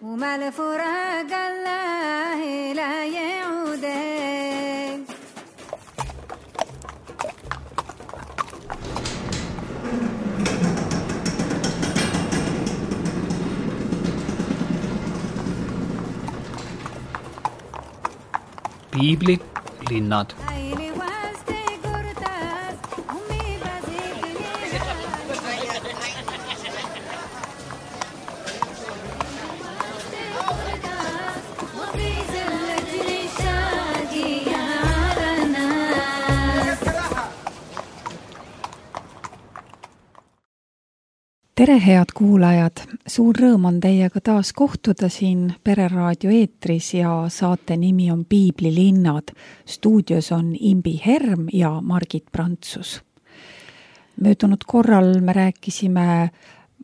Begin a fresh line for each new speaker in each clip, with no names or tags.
وما لفراق الله لا يعود.
Piiblilinnad.
Tere, head kuulajad! Suur rõõm on teiega taas kohtuda siin Pereraadio eetris ja saate nimi on Piiblilinnad. Stuudios on Imbi Herm ja Margit Prantsus. Möödunud korral me rääkisime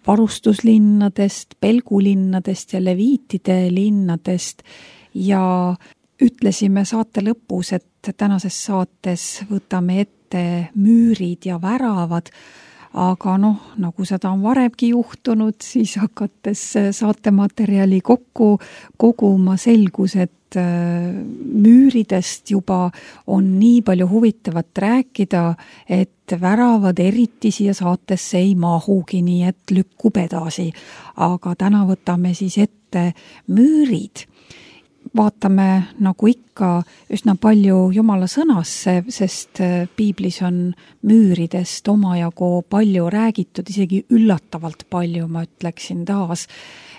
varustuslinnadest, pelgulinnadest ja leviitide linnadest ja ütlesime saate lõpus, et tänases saates võtame ette müürid ja väravad. Aga nagu seda on varemgi juhtunud, siis hakates saatematerjali kokku koguma selgus, et müüridest juba on nii palju huvitavat rääkida, et väravad eriti siia saatesse ei mahugi, nii et lükkub edasi. Aga täna võtame siis ette müürid. Vaatame nagu ikka üsna palju Jumala sõnasse, sest piiblis on müüridest omajagu palju räägitud, isegi üllatavalt palju, ma ütleksin taas.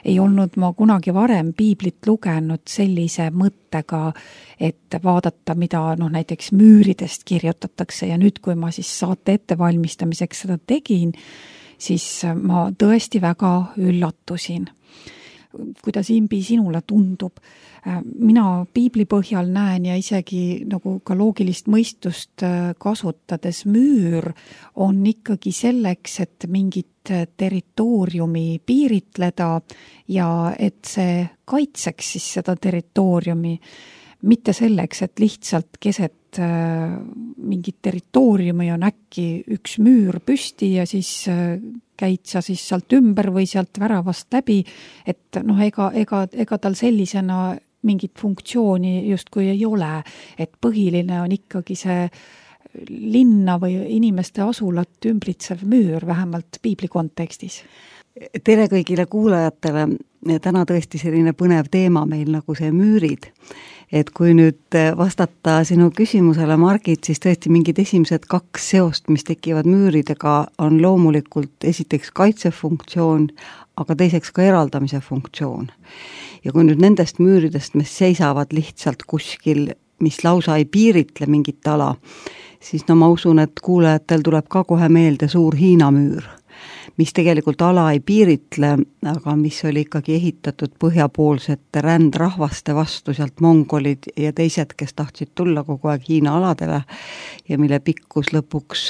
Ei olnud ma kunagi varem piiblit lugenud sellise mõttega, et vaadata, mida näiteks müüridest kirjutatakse ja nüüd, kui ma siis saate ettevalmistamiseks seda tegin, siis ma tõesti väga üllatusin. Kuidas Imbi sinule tundub? Mina piibli põhjal näen ja isegi nagu ka loogilist mõistust kasutades müür on ikkagi selleks, et mingit territooriumi piiritleda ja et see kaitseks siis seda territooriumi. Mitte selleks, et lihtsalt keset mingit territooriumi on äkki üks müür püsti ja siis käid sa siis sealt ümber või sealt väravast läbi, et ega tal sellisena mingit funktsiooni justkui ei ole, et põhiline on ikkagi see linna või inimeste asulat ümbritsev müür, vähemalt piibli kontekstis.
Tere kõigile kuulajatele, täna tõesti selline põnev teema meil nagu see müürid. Et kui nüüd vastata sinu küsimusele, Margit, siis tõesti mingid esimesed kaks seost, mis tekivad müüridega, on loomulikult esiteks kaitsefunktsioon, aga teiseks ka eraldamise funktsioon. Ja kui nüüd nendest müüridest, mis seisavad lihtsalt kuskil, mis lausa ei piiritle mingit ala, siis ma usun, et kuulajatel tuleb ka kohe meelde suur Hiina müür, mis tegelikult ala ei piiritle, aga mis oli ikkagi ehitatud põhjapoolsete rändrahvaste vastu, sealt mongolid ja teised, kes tahtsid tulla kogu aeg Hiina aladele ja mille pikkus lõpuks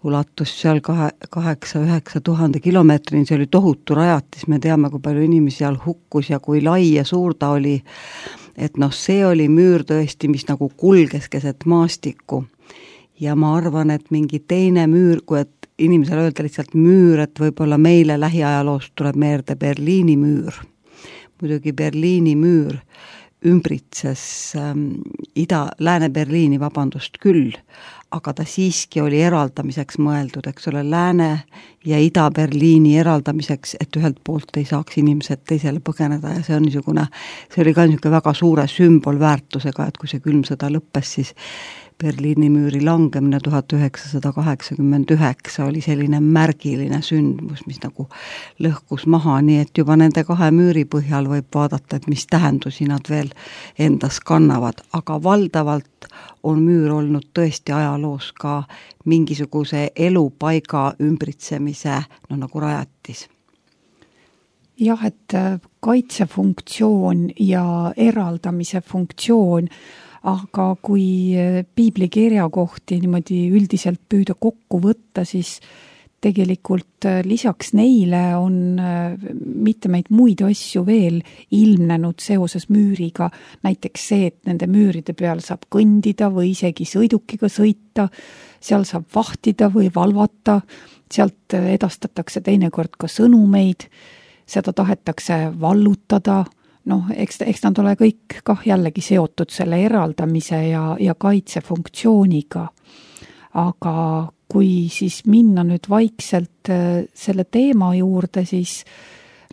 ulatus seal 8-9 tuhande kilomeetrini, see oli tohutu rajatis, me teame, kui palju inimesi seal hukkus ja kui lai ja suur ta oli, et see oli müür tõesti, mis nagu kulges keset maastikku ja ma arvan, et mingi teine müür, kui et inimesele öelda lihtsalt müür, et võib-olla meile lähiajaloost tuleb meelde Berliini müür. Muidugi Berliini müür ümbritses Lääne-Berliini, küll, aga ta siiski oli eraldamiseks mõeldud, eks ole, Lääne- ja Ida-Berliini eraldamiseks, et ühelt poolt ei saaks inimesed teisele põgeneda ja see oli ka niisugune väga suure sümbolväärtusega, et kui see külm sõda lõppes, siis Berliini müüri langemine 1989 oli selline märgiline sündmus, mis nagu lõhkus maha, nii et juba nende kahe müüri põhjal võib vaadata, et mis tähendusi nad veel endas kannavad, aga valdavalt on müür olnud tõesti ajaloos ka mingisuguse elupaiga ümbritsemise nagu rajatis.
Jah, et kaitsefunktsioon ja eraldamise funktsioon, aga kui piiblikirja kohti niimoodi üldiselt püüda kokku võtta, siis tegelikult lisaks neile on mitmeid muid asju veel ilmnenud seoses müüriga. Näiteks see, et nende müüride peal saab kõndida või isegi sõidukiga sõita, seal saab vahtida või valvata, sealt edastatakse teinekord ka sõnumeid, seda tahetakse vallutada, noh, eks nad ole kõik kah jällegi seotud selle eraldamise ja kaitsefunktsiooniga. Aga kui siis minna nüüd vaikselt selle teema juurde, siis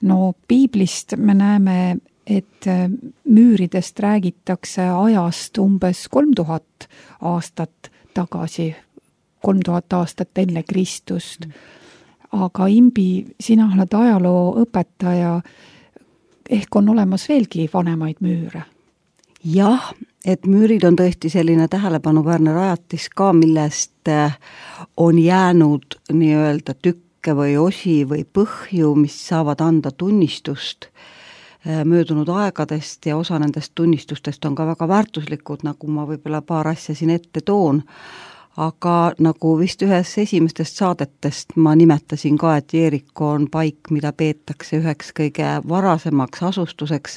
no piiblist me näeme, et müüridest räägitakse ajast umbes 3000 aastat tagasi, 3000 aastat enne Kristust. Aga Imbi, sina oled ajalooõpetaja, ehk on olemas veelgi vanemaid müüre?
Jah, et müürid on tõesti selline tähelepanuväärne rajatis ka, millest on jäänud nii-öelda tükke või osi või põhju, mis saavad anda tunnistust möödunud aegadest ja osa nendest tunnistustest on ka väga väärtuslikud, nagu ma võib-olla paar asja siin ette toon. Aga nagu vist ühes esimestest saadetest ma nimetasin ka, et Jeeriko on paik, mida peetakse üheks kõige varasemaks asustuseks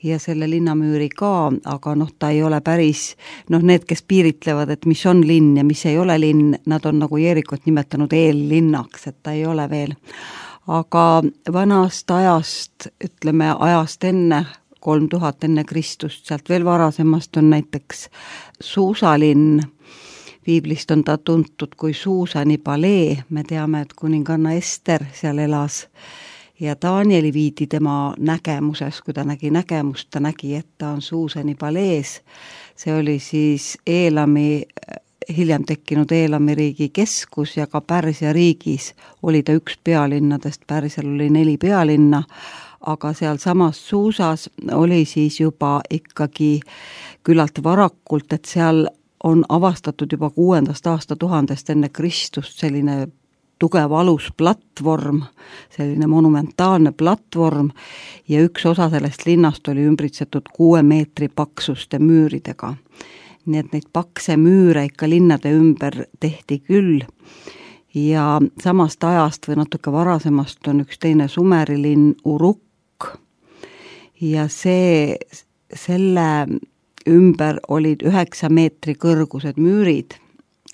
ja selle linnamüüri ka, aga ta ei ole päris, need, kes piiritlevad, et mis on linn ja mis ei ole linn, nad on nagu Jeerikot nimetanud eellinnaks, et ta ei ole veel. Aga vanast ajast, ütleme ajast enne 3000 enne Kristust, sealt veel varasemast on näiteks Suusalinn. Piiblist on ta tuntud kui Suusani palee, me teame, et kuninganna Ester seal elas ja Danieli viidi tema nägemuses, kui ta nägi nägemust, ta nägi, et ta on Suusani palees. See oli siis hiljem tekkinud Eelami riigi keskus ja ka Pärsia riigis oli ta üks pealinnadest, Pärsial oli 4 pealinna, aga seal samas Suusas oli siis juba ikkagi küllalt varakult, et seal on avastatud juba 6. aastatuhandest enne Kristust selline tugev alusplatvorm, selline monumentaalne platvorm ja üks osa sellest linnast oli ümbritsetud 6 meetri paksuste müüridega. Nii et neid pakse müüre ikka linnade ümber tehti küll ja samast ajast või natuke varasemast on üks teine Sumeri linn Uruk ja selle ümber olid 9 meetri kõrgused müürid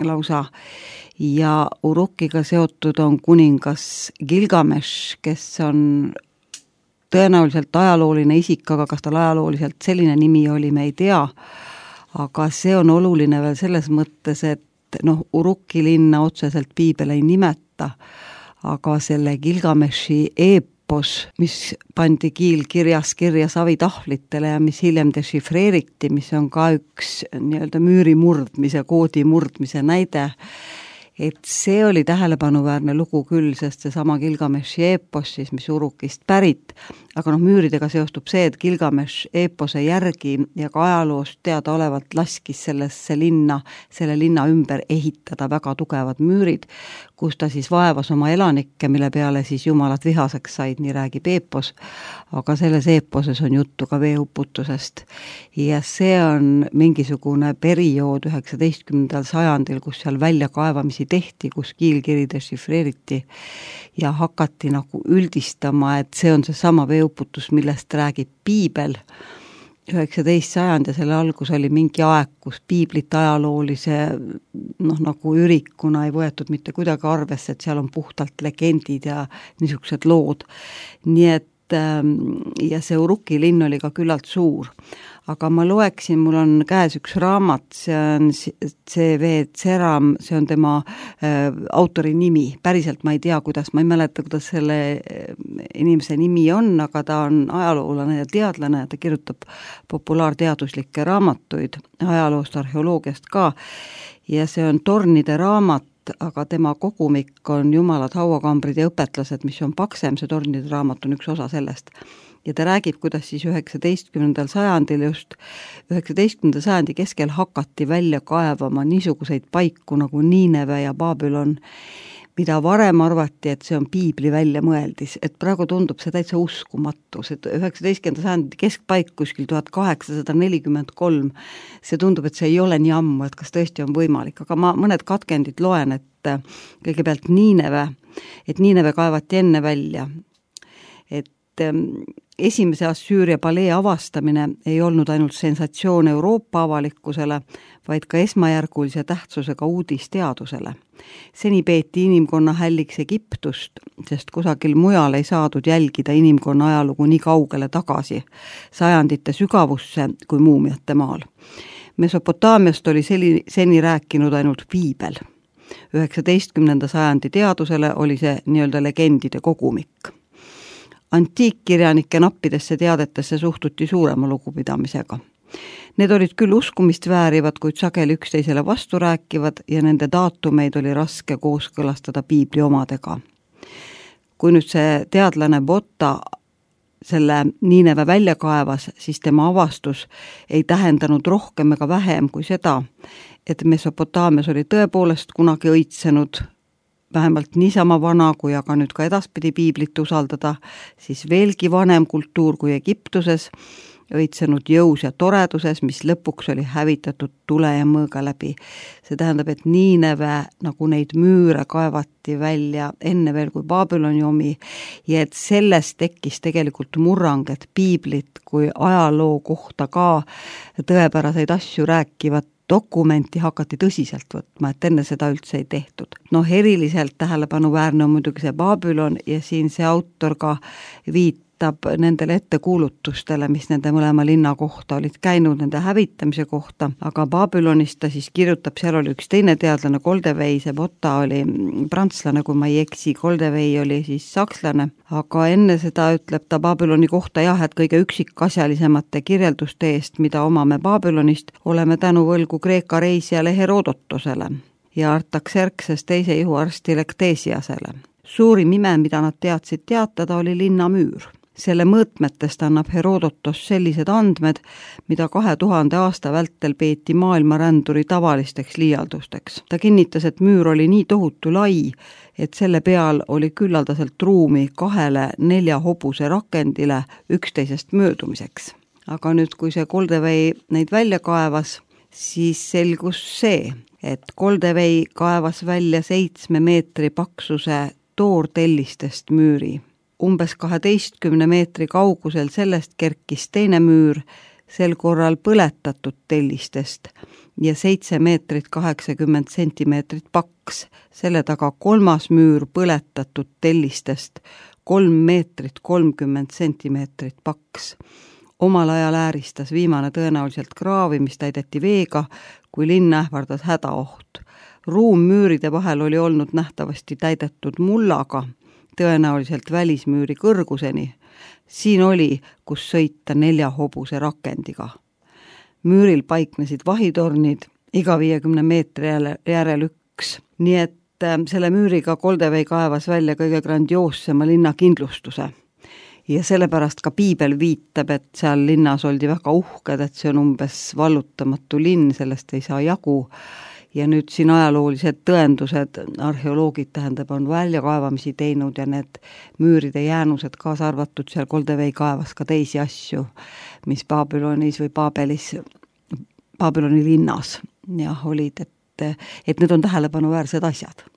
lausa ja Urukiga seotud on kuningas Gilgamesh, kes on tõenäoliselt ajalooline isik, aga kas tal ajalooliselt selline nimi oli, me ei tea. Aga see on oluline veel selles mõttes, et Uruki linna otseselt piibel ei nimeta, aga selle Gilgameshi eepos, mis pandi kiilkirja savitahvlitele ja mis hiljem dešifreeriti, mis on ka üks nii-öelda müüri murdmise, koodi murdmise näide, et see oli tähelepanuväärne lugu küll, sest see sama Gilgameshi eepos siis, mis Urukist pärit, aga müüridega seostub see, et Gilgamesh eepose järgi ja ka ajaloost teada olevalt laskis selle linna ümber ehitada väga tugevad müürid, kus ta siis vaevas oma elanikke, mille peale siis jumalad vihaseks said, nii räägib eepos, aga selles eeposes on juttu ka veeuputusest. Ja see on mingisugune periood 19. sajandil, kus seal väljakaevamisi tehti, kus kiilkiri dešifreeriti ja hakati nagu üldistama, et see on see sama veeuputus, millest räägib piibel. 19. sajand ja selle algus oli mingi aeg, kus piiblit ajaloolise nagu ürikuna ei võetud mitte kuidagi arvesse, et seal on puhtalt legendid ja niisugused lood. Nii et ja see Uruki linn oli ka küllalt suur. Aga ma loeksin, mul on käes üks raamat, see on C.V. Tseram, see on tema autori nimi. Päriselt ma ei tea, ma ei mäleta, kuidas selle inimese nimi on, aga ta on ajaloolane ja teadlane ja ta kirjutab populaarteaduslikke raamatuid, ajaloost, arheoloogiast ka. Ja see on Tornide raamat, aga tema kogumik on Jumalad, hauakambrid ja õpetlased, mis on paksem, see Tornide raamat on üks osa sellest. Ja ta räägib, kuidas siis 19. sajandil just 19. sajandi keskel hakati välja kaevama niisuguseid paiku nagu Niineve ja Babylon, mida varem arvati, et see on piibli väljamõeldis, et praegu tundub see täitsa uskumatu, see 19. sajandi keskpaik kuskil 1843, see tundub, et see ei ole nii ammu, et kas tõesti on võimalik, aga ma mõned katkendid loen, et kõigepealt Niineve kaevati enne välja, et esimese Assüüria palee avastamine ei olnud ainult sensatsioon Euroopa avalikkusele, vaid ka esmajärgulise tähtsusega uudis teadusele. Seni peeti inimkonna hälliks Egiptust, sest kusagil mujal ei saadud jälgida inimkonna ajalugu nii kaugele tagasi, sajandite sügavusse kui muumiate maal. Mesopotaamiast oli seni rääkinud ainult piibel. 19. sajandi teadusele oli see nii-öelda legendide kogumik. Antiikkirjanike nappidesse teadetesse suhtuti suurema lugupidamisega. Need olid küll uskumist väärivad, kuid sageli üksteisele vastu rääkivad ja nende daatumeid oli raske kooskõlastada piibli omadega. Kui nüüd see teadlane Botta selle Niineve välja kaevas, siis tema avastus ei tähendanud rohkem ega vähem kui seda, et Mesopotaamias oli tõepoolest kunagi õitsenud vähemalt niisama vana, kui aga nüüd ka edaspidi piiblit usaldada, siis veelgi vanem kultuur kui Egiptuses, õitsenud jõus ja toreduses, mis lõpuks oli hävitatud tule ja mõõga läbi. See tähendab, et Niineve nagu neid müüre kaevati välja enne veel kui Babyloni omi ja et sellest tekkis tegelikult murrang, et piiblit kui ajaloo kohta ka tõepäraseid asju rääkivat dokumenti hakati tõsiselt võtma, et enne seda üldse ei tehtud. Eriliselt tähelepanuväärne on muidugi see Babylon ja siin see autor ka viitab nendele ettekuulutustele, mis nende mõlema linna kohta olid käinud, nende hävitamise kohta, aga Babylonist ta siis kirjutab, seal oli üks teine teadlane, Koldewey, see Botta oli prantslane, kui ma ei eksi, Koldewey oli siis sakslane, aga enne seda ütleb ta Babyloni kohta jah, et kõige üksikasjalisemate kirjelduste eest, mida omame Babylonist, oleme tänu võlgu Kreeka reisijale Herodotosele ja Artaxerxes teise ihuarsti Lektesiasele. Suurim ime, mida nad teadsid teatada, oli linnamüür. Selle mõõtmetest annab Herodotos sellised andmed, mida 2000 aasta vältel peeti maailmaränduri tavalisteks liialdusteks. Ta kinnitas, et müür oli nii tohutu lai, et selle peal oli küllaldaselt ruumi 2-4 hobuse rakendile üksteisest möödumiseks. Aga nüüd, kui see Koldewey neid välja kaevas, siis selgus see, et Koldewey kaevas välja 7 meetri paksuse toortellistest müüri. Umbes 12 meetri kaugusel sellest kerkis teine müür, sel korral põletatud tellistest ja 7 meetrit 80 sentimeetrit paks. Selle taga 3. müür põletatud tellistest 3 meetrit 30 sentimeetrit paks. Omal ajal ääristas viimane tõenäoliselt kraavi, mis täideti veega, kui linn ähvardas hädaoht. Ruum müüride vahel oli olnud nähtavasti täidetud mullaga, tõenäoliselt välismüüri kõrguseni. Siin oli, kus sõita 4 hobuse rakendiga. Müüril paiknesid vahitornid, iga 50 meetri järel üks. Nii et selle müüriga Koldewey kaevas välja kõige grandioossema linna kindlustuse. Ja sellepärast ka piibel viitab, et seal linnas oldi väga uhked, et see on umbes vallutamatu linn, sellest ei saa jagu. Ja nüüd siin ajaloolised tõendused, arheoloogid tähendab, on väljakaevamisi teinud ja need müüride jäänused kaasa arvatud seal Koldewey kaevas ka teisi asju, mis Babylonis või Babyloni linnas olid, et need on tähelepanuväärsed asjad.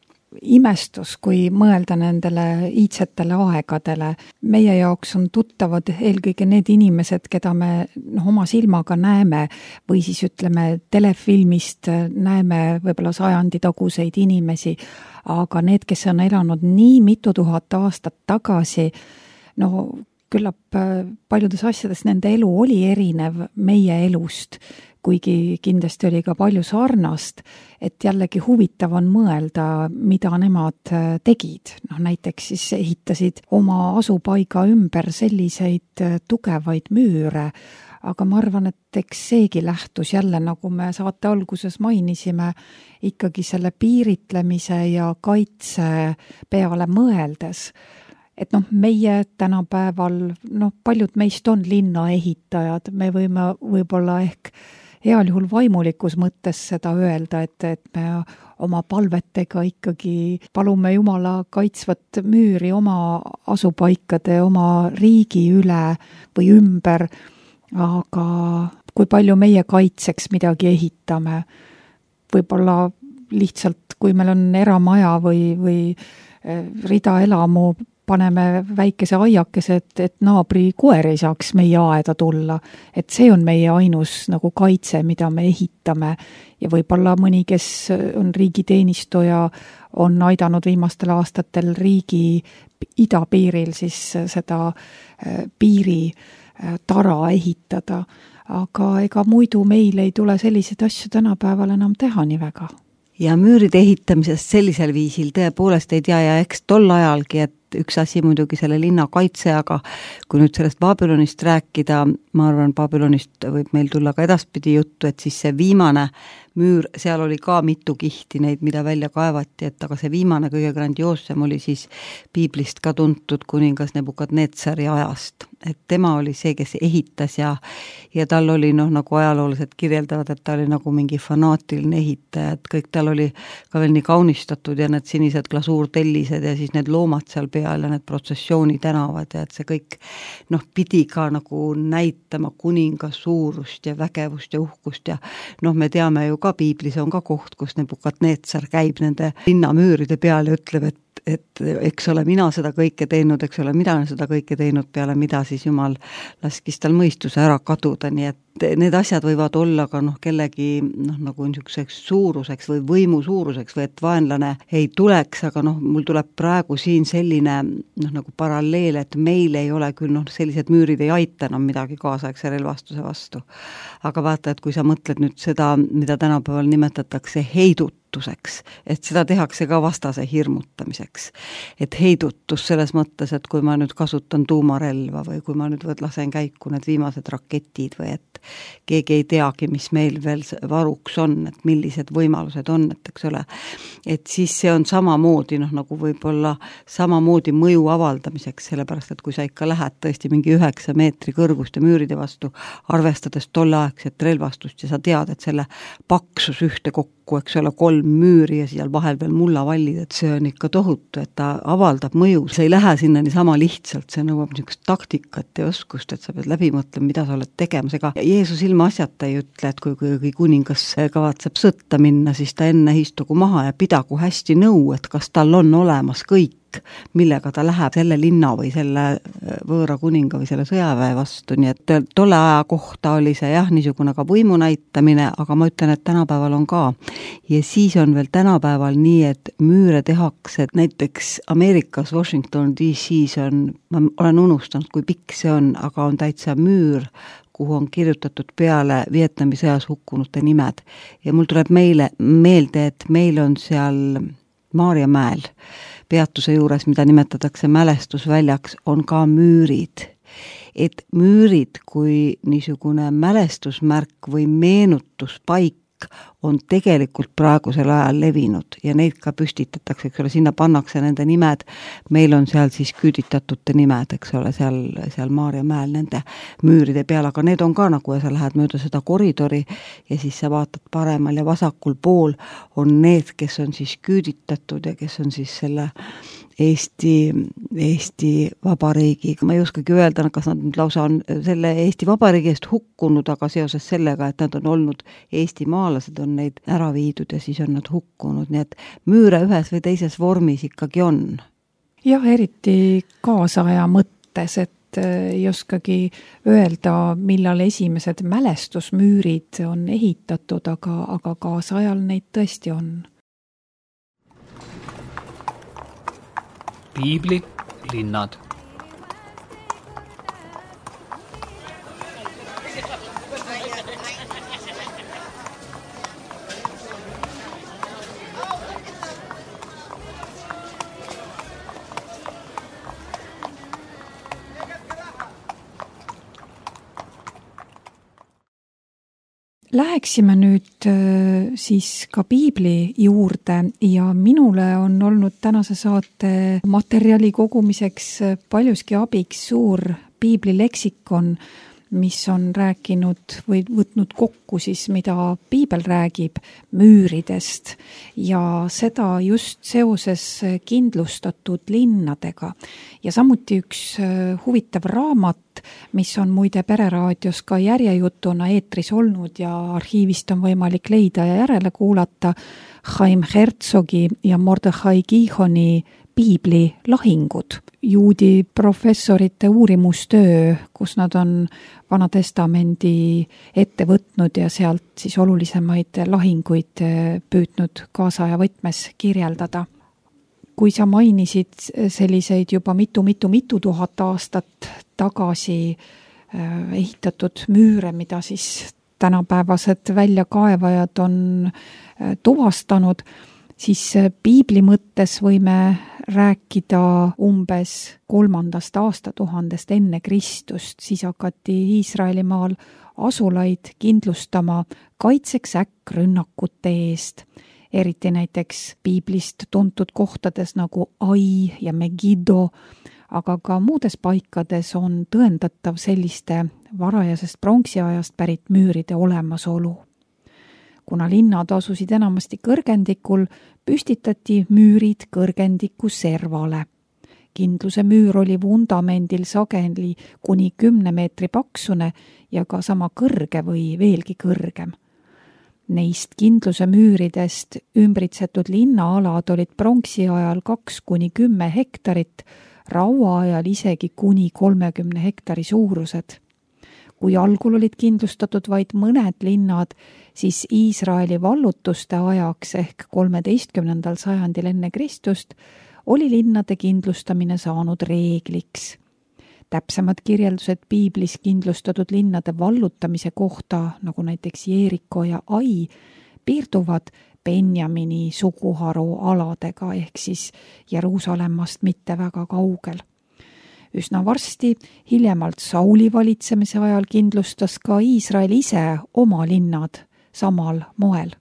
Imestus, kui mõelda nendele iidsetele aegadele. Meie jaoks on tuttavad eelkõige need inimesed, keda me oma silmaga näeme või siis ütleme telefilmist näeme võib-olla sajanditaguseid inimesi, aga need, kes on elanud nii mitu tuhat aastat tagasi, küllap paljudes asjades nende elu oli erinev meie elust, kuigi kindlasti oli ka palju sarnast, et jällegi huvitav on mõelda, mida nemad tegid. Näiteks siis ehitasid oma asupaiga ümber selliseid tugevaid müüre, aga ma arvan, et eks seegi lähtus jälle, nagu me saate alguses mainisime, ikkagi selle piiritlemise ja kaitse peale mõeldes. Et meie tänapäeval, paljud meist on linnaehitajad, me võime võib-olla ehk heal juhul vaimulikus mõttes seda öelda, et me oma palvetega ikkagi palume Jumala kaitsvat müüri oma asupaikade, oma riigi üle või ümber, aga kui palju meie kaitseks midagi ehitame, võib-olla lihtsalt, kui meil on eramaja või rida elamu paneme väikese aiakese, et naabri koer ei saaks meie aeda tulla. Et see on meie ainus nagu kaitse, mida me ehitame ja võib-olla mõni, kes on riigiteenistuja, on aidanud viimastel aastatel riigi idapiiril siis seda piiri tara ehitada. Aga ega muidu meil ei tule selliseid asju tänapäeval enam teha nii väga.
Ja müüride ehitamisest sellisel viisil tõepoolest ei tea ja eks tol ajalgi, et üks asi muidugi selle linna kaitse, aga kui nüüd sellest Babylonist rääkida, ma arvan, Babylonist võib meil tulla ka edaspidi juttu, et siis see viimane müür, seal oli ka mitu kihti neid, mida välja kaevati, et aga see viimane kõige grandioossem oli siis piiblist ka tuntud kuningas Nebukadnetsari ajast. Et tema oli see, kes ehitas ja tal oli nagu ajaloolased kirjeldavad, et ta oli nagu mingi fanaatiline ehitaja, et kõik tal oli ka veel nii kaunistatud ja need sinised glasuurtellised ja siis need loomad seal peal ja need protsessiooni tänavad ja et see kõik pidi ka nagu näitama kuninga suurust ja vägevust ja uhkust ja me teame ju ka piiblis on ka koht, kus Nebukadnetsar käib nende linnamüüride peal ja ütleb, et eks ole mina seda kõike teinud, eks ole mida seda kõike teinud peale, mida siis Jumal laskis tal mõistuse ära kaduda, nii et need asjad võivad olla ka kellegi nagu niisuguseks suuruseks või võimu suuruseks või et vaenlane ei tuleks, aga mul tuleb praegu siin selline nagu paralleel, et meil ei ole küll sellised müürid ei aita enam midagi kaasaegse relvastuse vastu. Aga vaata, et kui sa mõtled nüüd seda, mida tänapäeval nimetatakse heidutuseks, et seda tehakse ka vastase hirmutamiseks. Et heidutus selles mõttes, et kui ma nüüd kasutan tuumarelva või kui ma nüüd lasen käiku need viimased raketid või et keegi ei teagi, mis meil veel varuks on, et millised võimalused on, et eks ole, et siis see on samamoodi nagu võib-olla samamoodi mõju avaldamiseks, sellepärast, et kui sa ikka lähed tõesti mingi 9 meetri kõrguste müüride vastu, arvestades tolleaegset relvastust ja sa tead, et selle paksus ühte kokku, eks ole, 3 müüri ja seal vahel veel mullavallid, et see on ikka tohutu, et ta avaldab mõju, see ei lähe sinna niisama lihtsalt, see nõuab niisugust taktikat ja oskust, et sa pead läbi mõtlema, mida sa oled tegemas, ega Jeesus ilma asjata ei ütle, et kui kuningas kavatseb sõtta minna, siis ta enne istugu maha ja pidagu hästi nõu, et kas tal on olemas kõik, millega ta läheb selle linna või selle võõra kuninga või selle sõjaväe vastu, nii et tolle aja kohta oli see niisugune ka võimu näitamine, aga ma ütlen, et tänapäeval on ka. Ja siis on veel tänapäeval nii, et müüre tehakse, et näiteks Ameerikas Washington DC-s on, ma olen unustanud, kui pikk see on, aga on täitsa müür, kuhu on kirjutatud peale Vietnami sõjas hukkunute nimed. Ja mul tuleb meelde, et meil on seal Maarjamäel peatuse juures, mida nimetatakse mälestusväljaks, on ka müürid. Et müürid kui niisugune mälestusmärk või meenutuspaik on tegelikult praegusel ajal levinud ja neid ka püstitatakse, eks ole, sinna pannakse nende nimed, meil on seal siis küüditatute nimed, eks ole, seal Maarjamäel nende müüride peal, aga need on ka nagu, ja sa lähed mööda seda koridori ja siis sa vaatad paremal ja vasakul pool on need, kes on siis küüditatud ja kes on siis selle Eesti Vabariigi, ma ei oskagi öelda, kas nad nüüd lausa on selle Eesti Vabariigi eest hukkunud, aga seoses sellega, et nad on olnud eestimaalased, on neid ära viidud ja siis on nad hukkunud, nii et müüre ühes või teises vormis ikkagi on.
Jah, eriti kaasaja mõttes, et ei oskagi öelda, millal esimesed mälestusmüürid on ehitatud, aga kaasajal neid tõesti on.
Piibli linnad.
Läheksime nüüd siis ka piibli juurde ja minule on olnud tänase saate materjali kogumiseks paljuski abiks suur piiblileksikon, mis on rääkinud või võtnud kokku siis, mida piibel räägib müüridest ja seda just seoses kindlustatud linnadega. Ja samuti üks huvitav raamat, mis on muide Pereraadios ka järjejutuna eetris olnud ja arhiivist on võimalik leida ja järele kuulata, Chaim Herzogi ja Mordechai Gihoni piibli lahingud. Juudi professorite uurimustöö, kus nad on Vana Testamendi ette võtnud ja sealt siis olulisemaid lahinguid püüdnud kaasaja võtmes kirjeldada. Kui sa mainisid selliseid juba mitu tuhat aastat tagasi ehitatud müüre, mida siis tänapäevased väljakaevajad on tuvastanud, siis piibli mõttes võime rääkida umbes 3. aastatuhandest enne Kristust, siis hakati Iisraelimaal asulaid kindlustama kaitseks äkkrünnakute eest, eriti näiteks piiblist tuntud kohtades nagu Ai ja Megiddo, aga ka muudes paikades on tõendatav selliste varajasest pronksiajast pärit müüride olemasolu. Kuna linnad asusid enamasti kõrgendikul, püstitati müürid kõrgendiku servale. Kindluse müür oli vundamendil sageli kuni 10 meetri paksune ja ka sama kõrge või veelgi kõrgem. Neist kindluse müüridest ümbritsetud linnaalad olid pronksi ajal 2–10 hektarit, rauaajal isegi kuni 30 hektari suurused. Kui algul olid kindlustatud vaid mõned linnad, siis Iisraeli vallutuste ajaks ehk 13. sajandil enne Kristust oli linnade kindlustamine saanud reegliks. Täpsemad kirjeldused piiblis kindlustatud linnade vallutamise kohta, nagu näiteks Jeeriko ja Ai, piirduvad Benjamini suguharu aladega ehk siis Jeruusalemmast mitte väga kaugel. Üsna varsti, hiljemalt Sauli valitsemise ajal kindlustas ka Iisrael ise oma linnad samal moel.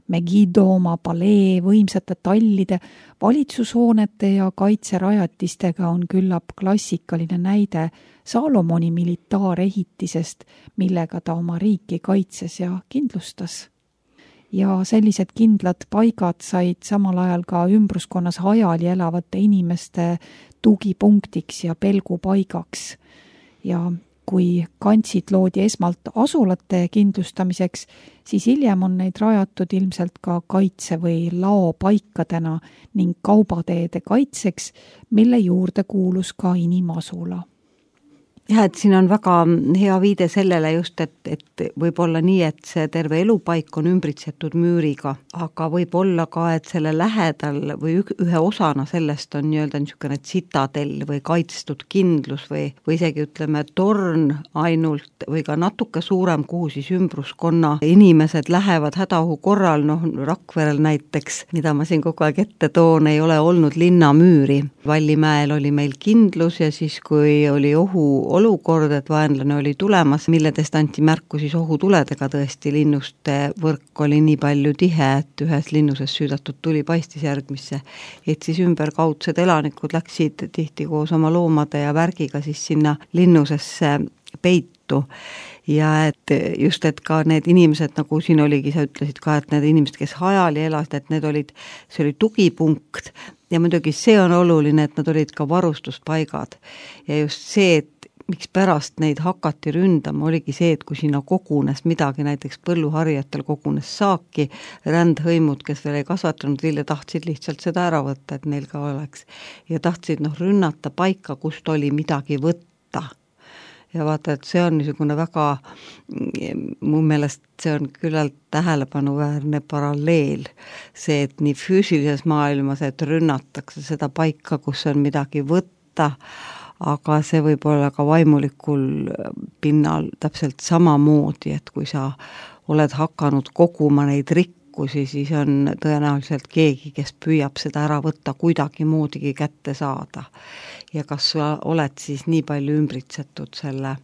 Megiddo oma palee, võimsate tallide, valitsushoonete ja kaitserajatistega on küllap klassikaline näide Salomoni militaarehitisest, millega ta oma riiki kaitses ja kindlustas. Ja sellised kindlad paigad said samal ajal ka ümbruskonnas hajali elavate inimeste tugipunktiks ja pelgupaigaks. Ja kui kantsid loodi esmalt asulate kindlustamiseks, siis hiljem on neid rajatud ilmselt ka kaitse- või laopaikadena ning kaubateede kaitseks, mille juurde kuulus ka inimasula.
Jah, et siin on väga hea viide sellele just, et võib olla nii, et see terve elupaik on ümbritsetud müüriga, aga võib olla ka, et selle lähedal või ühe osana sellest on nii-öelda niisugune tsitadell või kaitstud kindlus või isegi ütleme torn ainult või ka natuke suurem, kuhu siis ümbruskonna inimesed lähevad hädaohu korral, Rakverel näiteks, mida ma siin kogu aeg ette toon, ei ole olnud linnamüüri. Vallimäel oli meil kindlus ja siis, kui oli olukord, et vaenlane oli tulemas, milledest anti märku siis ohutuledega tõesti, linnuste võrk oli nii palju tihe, et ühes linnuses süüdatud tuli paistis järgmisse, et siis ümberkaudsed elanikud läksid tihti koos oma loomade ja värgiga siis sinna linnusesse peitu. Ja et just, et ka need inimesed, nagu siin oligi, sa ütlesid ka, et need inimesed, kes hajali elasid, et see oli tugipunkt ja muidugi see on oluline, et nad olid ka varustuspaigad ja just see, et miks pärast neid hakati ründama, oligi see, et kui sinna kogunes midagi, näiteks põlluharjatel kogunes saaki, rändhõimud, kes veel ei kasvatanud vilja, tahtsid lihtsalt seda ära võtta, et neil ka oleks. Ja tahtsid rünnata paika, kust oli midagi võtta. Ja vaata, et see on niisugune väga, mu meelest see on küllalt tähelepanuväärne paralleel. See, et nii füüsilises maailmas, et rünnatakse seda paika, kus on midagi võtta, aga see võib olla ka vaimulikul pinnal täpselt samamoodi, et kui sa oled hakanud koguma neid rikkusi, siis on tõenäoliselt keegi, kes püüab seda ära võtta kuidagi moodigi kätte saada. Ja kas sa oled siis nii palju ümbritsetud selle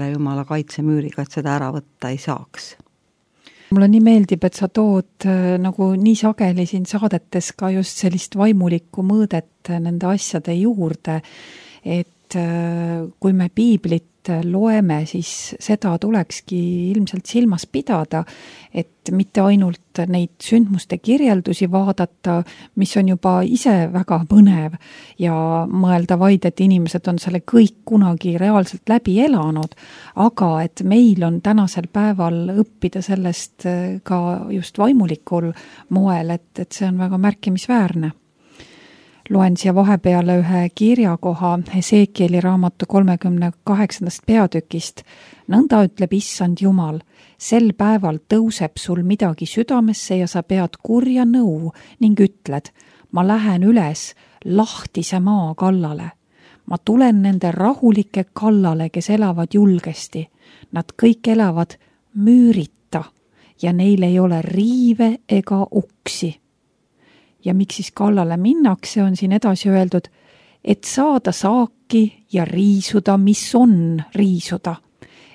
Jumala kaitsemüüriga, et seda ära võtta ei saaks?
Mulle nii meeldib, et sa tood nagu nii sageli siin saadetes ka just sellist vaimulikku mõõdet nende asjade juurde, et kui me piiblit loeme, siis seda tulekski ilmselt silmas pidada, et mitte ainult neid sündmuste kirjeldusi vaadata, mis on juba ise väga põnev ja mõelda vaid, et inimesed on selle kõik kunagi reaalselt läbi elanud, aga et meil on tänasel päeval õppida sellest ka just vaimulikul moel, et see on väga märkimisväärne. loen siia vahepeale ühe kirjakoha Hesekieli raamatu 38. peatükist. Nõnda ütleb Issand Jumal, sel päeval tõuseb sul midagi südamesse ja sa pead kurja nõu ning ütled, ma lähen üles lahtise maa kallale. Ma tulen nende rahulike kallale, kes elavad julgesti. Nad kõik elavad müürita ja neil ei ole riive ega uksi. Ja miks siis kallale minnakse, on siin edasi öeldud, et saada saaki ja riisuda, mis on riisuda,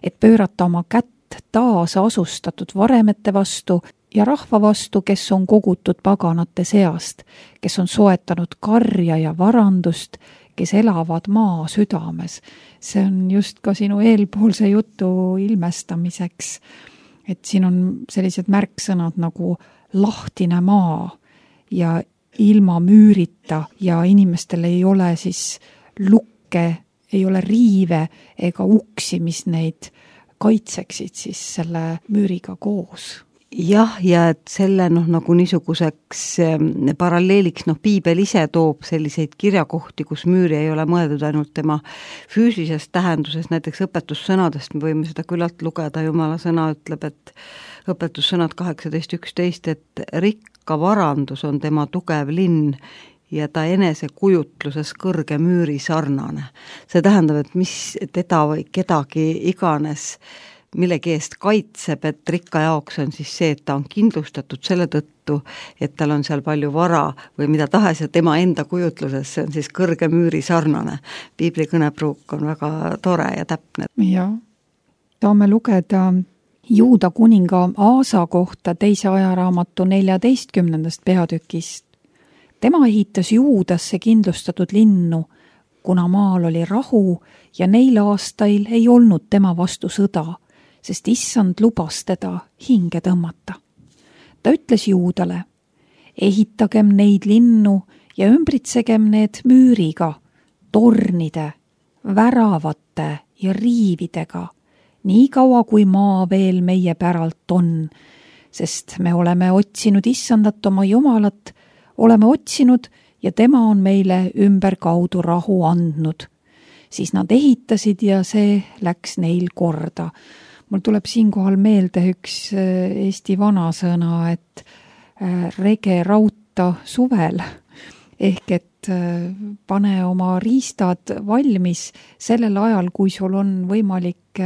et pöörata oma kätt taas asustatud varemete vastu ja rahva vastu, kes on kogutud paganate seast, kes on soetanud karja ja varandust, kes elavad maa südames. See on just ka sinu eelpoolse jutu ilmestamiseks, et siin on sellised märksõnad nagu lahtine maa ja ilma müürita ja inimestel ei ole siis lukke, ei ole riive ega uksi, mis neid kaitseksid siis selle müüriga koos.
Jah, ja et selle nagu niisuguseks paralleeliks, piibel ise toob selliseid kirjakohti, kus müüri ei ole mõeldud ainult tema füüsilisest tähenduses, näiteks õpetussõnadest me võime seda küllalt lugeda, Jumala sõna ütleb, et õpetussõnad 18.11, et rikka varandus on tema tugev linn ja ta enese kujutluses kõrge müüri sarnane. See tähendab, et mis teda või kedagi iganes millegi eest kaitseb, et rikka jaoks on siis see, et ta on kindlustatud selle tõttu, et tal on seal palju vara või mida tahes ja tema enda kujutluses, see on siis kõrge müüri sarnane. Piibli kõnepruuk on väga tore ja täpne.
Ja, saame lugeda Juuda kuninga Aasa kohta 2. ajaraamatu 14. peatükist. Tema ehitas Juudasse kindlustatud linnu, kuna maal oli rahu ja neil aastail ei olnud tema vastu sõda, sest Issand lubas teda hinge tõmmata. Ta ütles Juudale, ehitagem neid linnu ja ümbritsegem need müüriga, tornide, väravate ja riividega, nii kaua kui maa veel meie päralt on, sest me oleme otsinud Issandat oma Jumalat, oleme otsinud ja tema on meile ümberkaudu rahu andnud. Siis nad ehitasid ja see läks neil korda. Mul tuleb siinkohal meelde üks eesti vanasõna, et rege rauta suvel, ehk et pane oma riistad valmis sellel ajal, kui sul on võimalik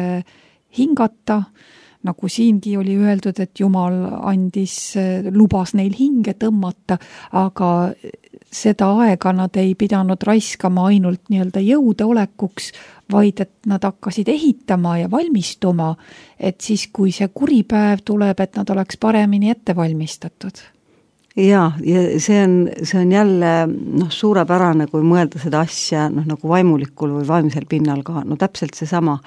hingata, nagu siingi oli öeldud, et Jumal lubas neil hinge tõmmata, aga seda aega nad ei pidanud raiskama ainult nii-öelda jõudeolekuks, vaid et nad hakkasid ehitama ja valmistuma, et siis, kui see kuripäev tuleb, et nad oleks paremini ette valmistatud.
Ja see on jälle suurepärane, kui mõelda seda asja nagu vaimulikul või vaimsel pinnal ka, täpselt see sama.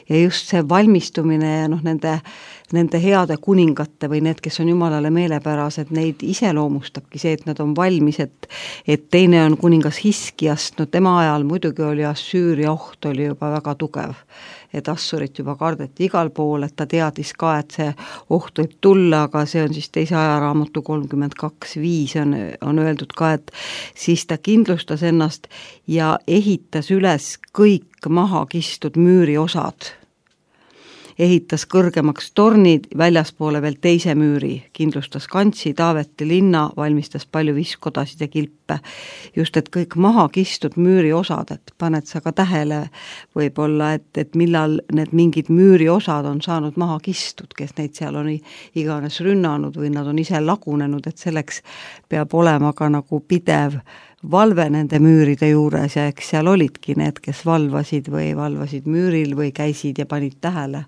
Ja just see valmistumine ja nende heade kuningate või need, kes on Jumalale meelepärased, neid iseloomustabki see, et nad on valmis, et teine on kuningas Hiskiast, tema ajal muidugi oli Assüüria oht oli juba väga tugev, et Assurit juba kardeti igal pool, et ta teadis ka, et see oht võib tulla, aga see on siis 2. ajaraamatu 32.5 on öeldud ka, et siis ta kindlustas ennast ja ehitas üles kõik maha kistud müüriosad. Ehitas kõrgemaks tornid, väljaspoole veel teise müüri, kindlustas kantsi, Taaveti linna, valmistas palju viskodasid ja kilpe. Just, et kõik maha kistud müüri osad, et paned sa ka tähele võib-olla, et millal need mingid müüri osad on saanud maha kistud, kes neid seal on iganes rünnanud või nad on ise lagunenud, et selleks peab olema ka nagu pidev valve nende müüride juures ja eks seal olidki need, kes valvasid müüril või käisid ja panid tähele,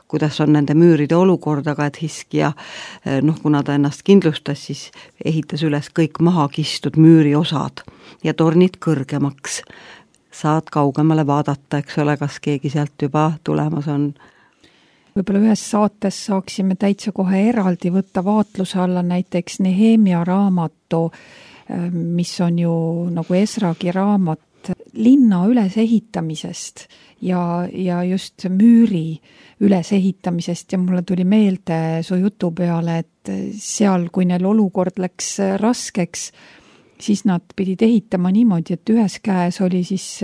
kuidas on nende müüride olukord, aga et Hiskia, kuna ta ennast kindlustas, siis ehitas üles kõik maha kistud müüri osad ja tornid kõrgemaks. Saad kaugemale vaadata, eks ole, kas keegi sealt juba tulemas on.
Võib-olla ühes saates saaksime täitsa kohe eraldi võtta vaatluse alla näiteks Nehemia raamatu, mis on ju nagu Esragi raamat linna ülesehitamisest ja just müüri ülesehitamisest ja mulle tuli meelde su jutu peale, et seal, kui neil olukord läks raskeks, siis nad pidid ehitama niimoodi, et ühes käes oli siis,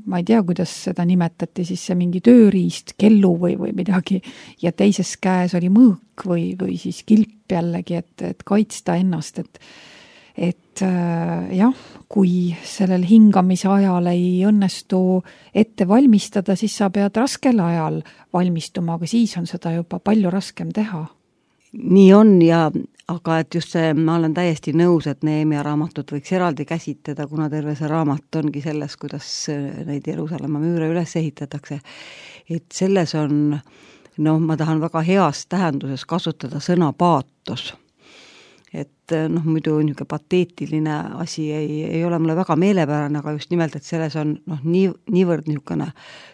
ma ei tea, kuidas seda nimetati, siis see mingi tööriist, kellu või midagi, ja teises käes oli mõõk või siis kilp jällegi, et kaitsta ennast, et jah, kui sellel hingamise ajal ei õnnestu ette valmistada, siis sa pead raskel ajal valmistuma, aga siis on seda juba palju raskem teha.
Nii on aga et just see, ma olen täiesti nõus, et Nehemia raamatut võiks eraldi käsitleda, kuna terve see raamat ongi selles, kuidas neid Jeruusalemma müüre üles ehitatakse. Et selles on, ma tahan väga heas tähenduses kasutada sõna paatos. Et muidu niisugune pateetiline asi ei ole mulle väga meelepärane, aga just nimelt, et selles on niivõrd niisugune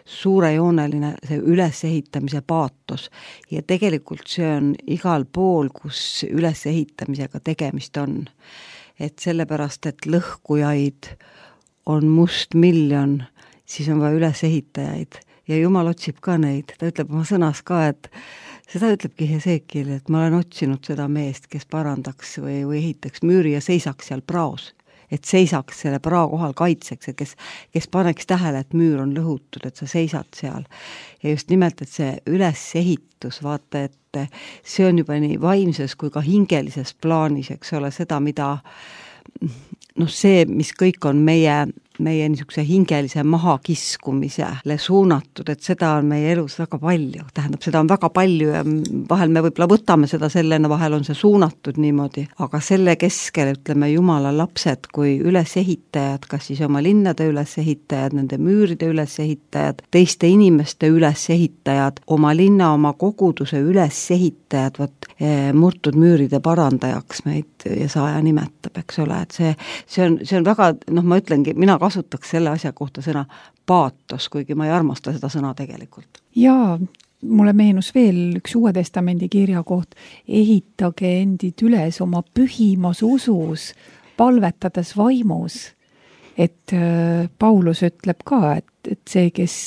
suurejooneline see ülesehitamise paatos ja tegelikult see on igal pool, kus ülesehitamisega tegemist on. Et sellepärast, et lõhkujaid on mustmiljon, siis on vaja ülesehitajaid ja Jumal otsib ka neid, ta ütleb oma sõnas ka, et seda ütlebki Hesekiel, et ma olen otsinud seda meest, kes parandaks või ehitaks müüri ja seisaks seal praos. Et seisaks selle prao kohal kaitseks, et kes paneks tähele, et müür on lõhutud, et sa seisad seal. Ja just nimelt, et see ülesehitus, vaata, et see on juba nii vaimses kui ka hingelises plaanis, eks ole, seda, mida see, mis kõik on meie niisuguse hingelise mahakiskumisele suunatud, et seda on meie elus väga palju, tähendab, seda on väga palju ja vahel me võib-olla võtame seda sellena, vahel on see suunatud niimoodi, aga selle keskel, ütleme, Jumala lapsed kui ülesehitajad, kas siis oma linnade ülesehitajad, nende müüride ülesehitajad, teiste inimeste ülesehitajad, oma linna, oma koguduse ülesehitajad, murtud müüride parandajaks meid Jesaja nimetab, eks ole, et see on väga, ma ütlengi, mina kasutaks selle asja kohta sõna paatos, kuigi ma ei armasta seda sõna tegelikult.
Jaa, mulle meenus veel üks Uue Testamendi kirja koht, ehitage endid üles oma pühimas usus, palvetades vaimus. Et Paulus ütleb ka, et see, kes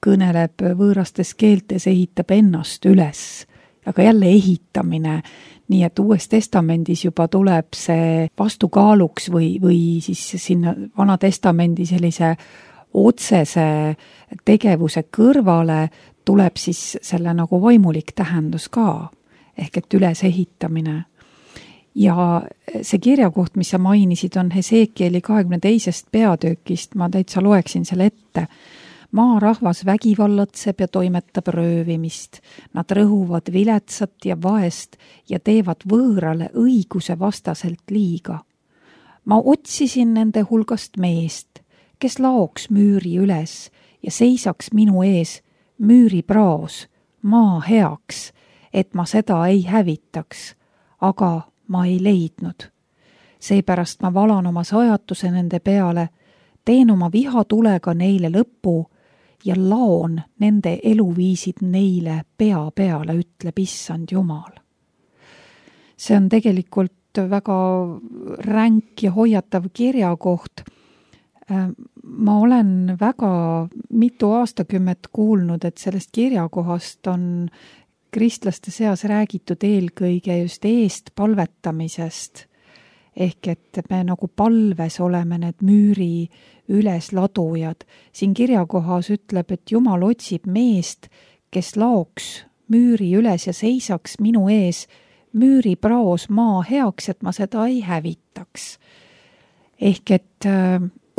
kõneleb võõrastes keeltes, ehitab ennast üles. Aga jälle ehitamine, nii et Uues Testamendis juba tuleb see vastukaaluks või siis sinna Vana Testamendi sellise otsese tegevuse kõrvale tuleb siis selle nagu vaimulik tähendus ka, ehk et ülesehitamine. Ja see kirjakoht, mis sa mainisid, on Hesekieli 22. peatükist, ma täitsa loeksin selle ette. Maarahvas vägivallatseb ja toimetab röövimist. Nad rõhuvad viletsat ja vaest ja teevad võõrale õiguse vastaselt liiga. Ma otsisin nende hulgast meest, kes laoks müüri üles ja seisaks minu ees müüri praos, maa heaks, et ma seda ei hävitaks, aga ma ei leidnud. Seepärast ma valan oma sajatuse nende peale, teen oma vihatulega neile lõpu ja laon nende eluviisid neile pea peale, ütleb Issand Jumal. See on tegelikult väga ränk ja hoiatav kirjakoht. Ma olen väga mitu aastakümmet kuulnud, et sellest kirjakohast on kristlaste seas räägitud eelkõige just eest palvetamisest. Ehk et me nagu palves oleme need müüri ülesladujad. Siin kirjakohas ütleb, et Jumal otsib meest, kes laoks müüri üles ja seisaks minu ees müüri praos maa heaks, et ma seda ei hävitaks. Ehk et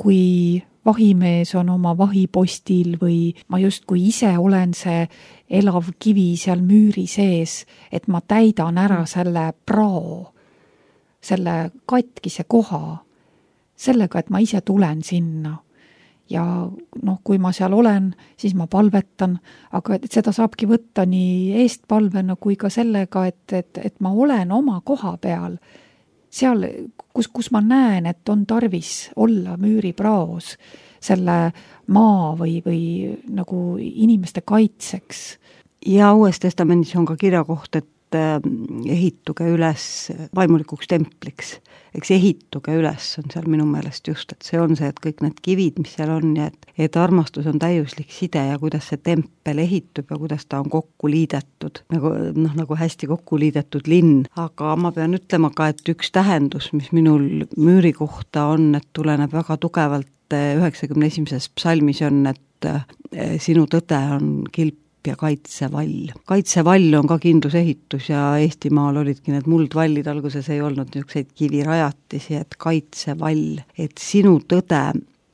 kui vahimees on oma vahipostil või ma justkui ise olen see elav kivi seal müüri sees, et ma täidan ära selle prao, selle katkise koha, sellega, et ma ise tulen sinna. Ja kui ma seal olen, siis ma palvetan, aga seda saabki võtta nii eestpalvena kui ka sellega, et ma olen oma koha peal, seal, kus ma näen, et on tarvis olla müüri praos, selle maa või nagu inimeste kaitseks.
Ja Uues Testamendis on ka kirjakoht, et ehituge üles vaimulikuks templiks. Eks ehituge üles on seal minu meelest just, et see on see, et kõik need kivid, mis seal on ja et armastus on täiuslik side ja kuidas see tempel ehitub ja kuidas ta on kokku liidetud, nagu hästi kokku liidetud linn. Aga ma pean ütlema ka, et üks tähendus, mis minul müüri kohta on, et tuleneb väga tugevalt 91. psalmis on, et sinu tõde on kilp ja kaitsevall. Kaitsevall on ka kindlusehitus ja Eestimaal olidki need muldvallid, alguses ei olnud niisuguseid kivirajatisi, et kaitsevall, et sinu tõde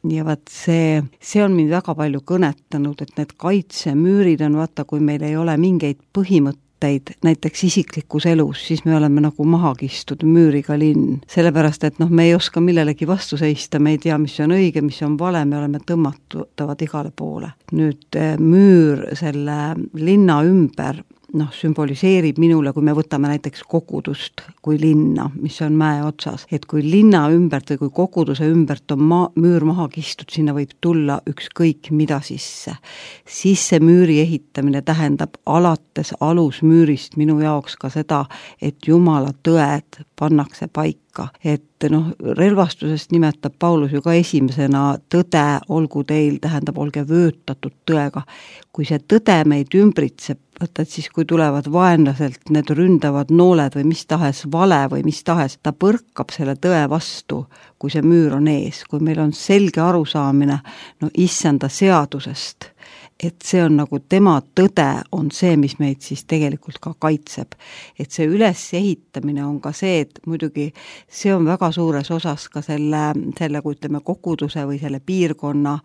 ja vaat see on mind väga palju kõnetanud, et need kaitsemüürid on, vaata, kui meil ei ole mingeid põhimõtteid, näiteks isiklikus elus, siis me oleme nagu maha kistud müüriga linn. Sellepärast, et me ei oska millelegi vastu seista, me ei tea, mis on õige, mis on vale, me oleme tõmmatavad igale poole. Nüüd müür selle linna ümber sümboliseerib minule, kui me võtame näiteks kogudust kui linna, mis on mäe otsas, et kui linna ümbert või kui koguduse ümbert on müür maha kistud, sinna võib tulla ükskõik mida sisse. Siis see müüri ehitamine tähendab alates alusmüürist minu jaoks ka seda, et Jumala tõed pannakse paika. Et relvastusest nimetab Paulus ju ka esimesena tõde, olgu teil, tähendab, olge vöötatud tõega. Kui see tõde meid ümbritseb, et siis kui tulevad vaenlaselt need ründavad nooled või mis tahes vale või mis tahes, ta põrkab selle tõe vastu, kui see müür on ees, kui meil on selge arusaamine issanda seadusest, et see on nagu tema tõde on see, mis meid siis tegelikult ka kaitseb. Et see ülesehitamine on ka see, et muidugi see on väga suures osas ka selle kui ütleme koguduse või selle piirkonna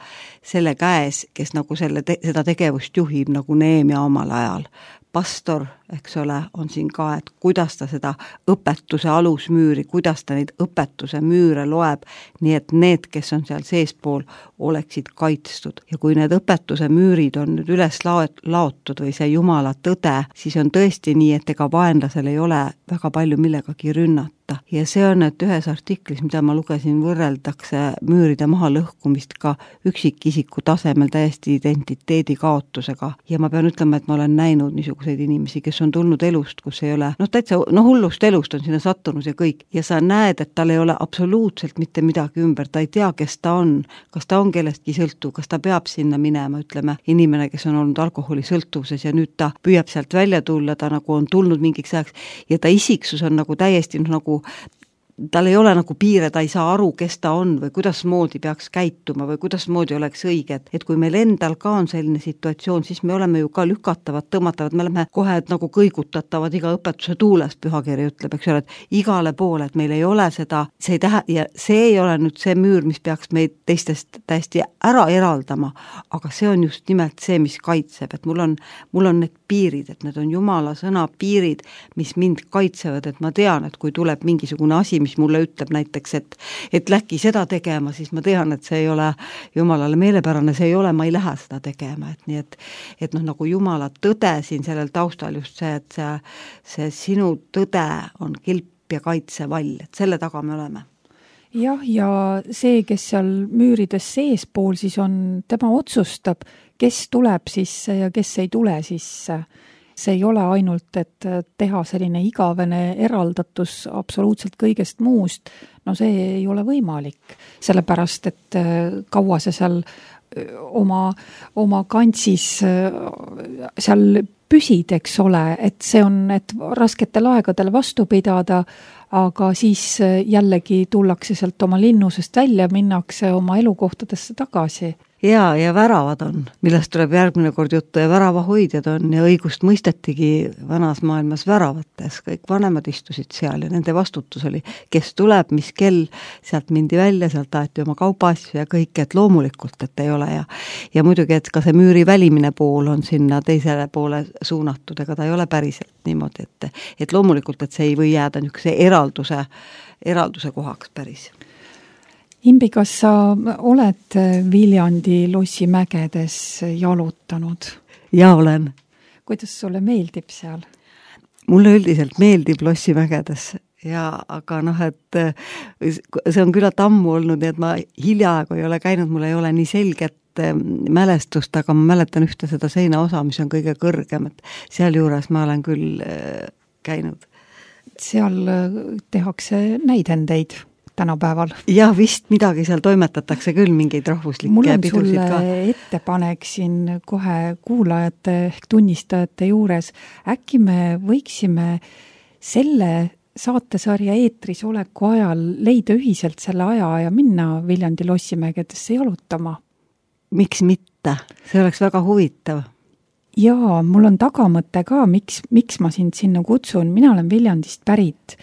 selle käes, kes nagu seda tegevust juhib nagu Neemia omal ajal. Pastor, eks ole, on siin ka, et kuidas ta seda õpetuse alusmüüri, kuidas ta neid õpetuse müüre loeb, nii et need, kes on seal seespool, oleksid kaitstud. Ja kui need õpetuse müürid on nüüd üles laotud või see Jumala tõde, siis on tõesti nii, et ega vaenlasel ei ole väga palju millegagi rünnata. Ja see on, et ühes artiklis, mida ma lugesin, võrreldakse müüride maha lõhkumist ka üksikisiku tasemel täiesti identiteedi kaotusega. Ja ma pean ütlema, et ma olen näinud niisuguseid inimesi, kes on tulnud elust, kus ei ole, täitsa hullust elust on sinna sattunud ja kõik. Ja sa näed, et tal ei ole absoluutselt mitte midagi ümber, ta ei tea, kes ta on, kas ta on kellestki sõltuv, kas ta peab sinna minema, ütleme, inimene, kes on olnud alkoholisõltuvuses ja nüüd ta püüab sealt välja tulla, ta nagu on tulnud mingiks ajaks ja ta isiksus on nagu täiesti nagu tal ei ole nagu piire, ta ei saa aru, kes ta on või kuidasmoodi peaks käituma või kuidasmoodi oleks õige, et kui meil endal ka on selline situatsioon, siis me oleme ju ka lükatavad, tõmmatavad, me oleme kohe nagu kõigutatavad iga õpetuse tuules, pühakiri ütleb, eks ole, et igale poole, et meil ei ole seda, ja see ei ole nüüd see müür, mis peaks meid teistest täiesti ära eraldama, aga see on just nimelt see, mis kaitseb, et mul on need piirid, et need on Jumala sõna piirid, mis mind kaitsevad, et ma tean, et kui tuleb mingisugune asi, mis mulle ütleb näiteks, et läki seda tegema, siis ma tean, et see ei ole Jumalale meelepärane, see ei ole, ma ei lähe seda tegema, et nii, et nagu Jumala tõde siin sellel taustal just see, et see sinu tõde on kilp ja kaitsevall, et selle taga me oleme.
Jah, ja see, kes seal müürides seespool, siis on, tema otsustab, kes tuleb sisse ja kes ei tule sisse. See ei ole ainult, et teha selline igavene eraldatus absoluutselt kõigest muust, see ei ole võimalik, sellepärast, et kaua see seal oma kantsis seal püsid, eks ole, et see on, et rasketel aegadel vastu pidada, aga siis jällegi tullakse sealt oma linnusest välja, minnakse oma elukohtadesse tagasi.
Ja väravad on, millest tuleb järgmine kord juttu ja väravahoidjad on ja õigust mõistetigi vanas maailmas väravates, kõik vanemad istusid seal ja nende vastutus oli, kes tuleb, mis kell, sealt mindi välja, sealt aeti oma kaubaasju ja kõik, et loomulikult, et ei ole ja muidugi, et ka see müüri välimine pool on sinna teisele poole suunatud, ega ta ei ole päriselt niimoodi, et loomulikult, et see ei või jääda niisuguse eralduse kohaks päris.
Imbi, kas sa oled Viljandi lossimägedes jalutanud?
Ja olen.
Kuidas sulle meeldib seal?
Mulle üldiselt meeldib lossimägedes, aga et see on küllalt ammu olnud, nii et ma hiljaaegu ei ole käinud, mul ei ole nii selget mälestust, aga ma mäletan ühte seda seinaosa, mis on kõige kõrgem, et seal juures ma olen küll käinud?
Seal tehakse näidendeid tänapäeval.
Jah, vist midagi seal toimetatakse küll, mingeid rahvuslikke pidusid ka.
Mul on sulle ettepanek siin kohe kuulajate ehk tunnistajate juures. Äkki me võiksime selle saatesarja eetris oleku ajal leida ühiselt selle aja ja minna Viljandi lossimägedesse jalutama?
Miks mitte? See oleks väga huvitav.
Jaa, mul on tagamõte ka, miks ma sind sinna kutsun. Mina olen Viljandist pärit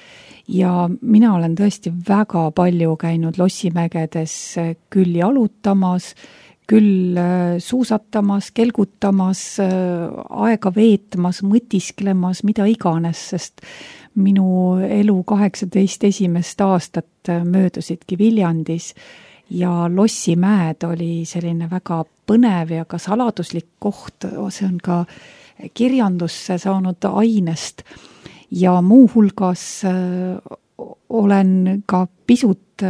ja mina olen tõesti väga palju käinud lossimägedes küll jalutamas, küll suusatamas, kelgutamas, aega veetmas, mõtisklemas, mida iganes, sest minu elu 18 esimest aastat möödusidki Viljandis ja Lossimäed oli selline väga põnev ja ka saladuslik koht, see on ka kirjandusse saanud ainest ja muuhulgas olen ka pisut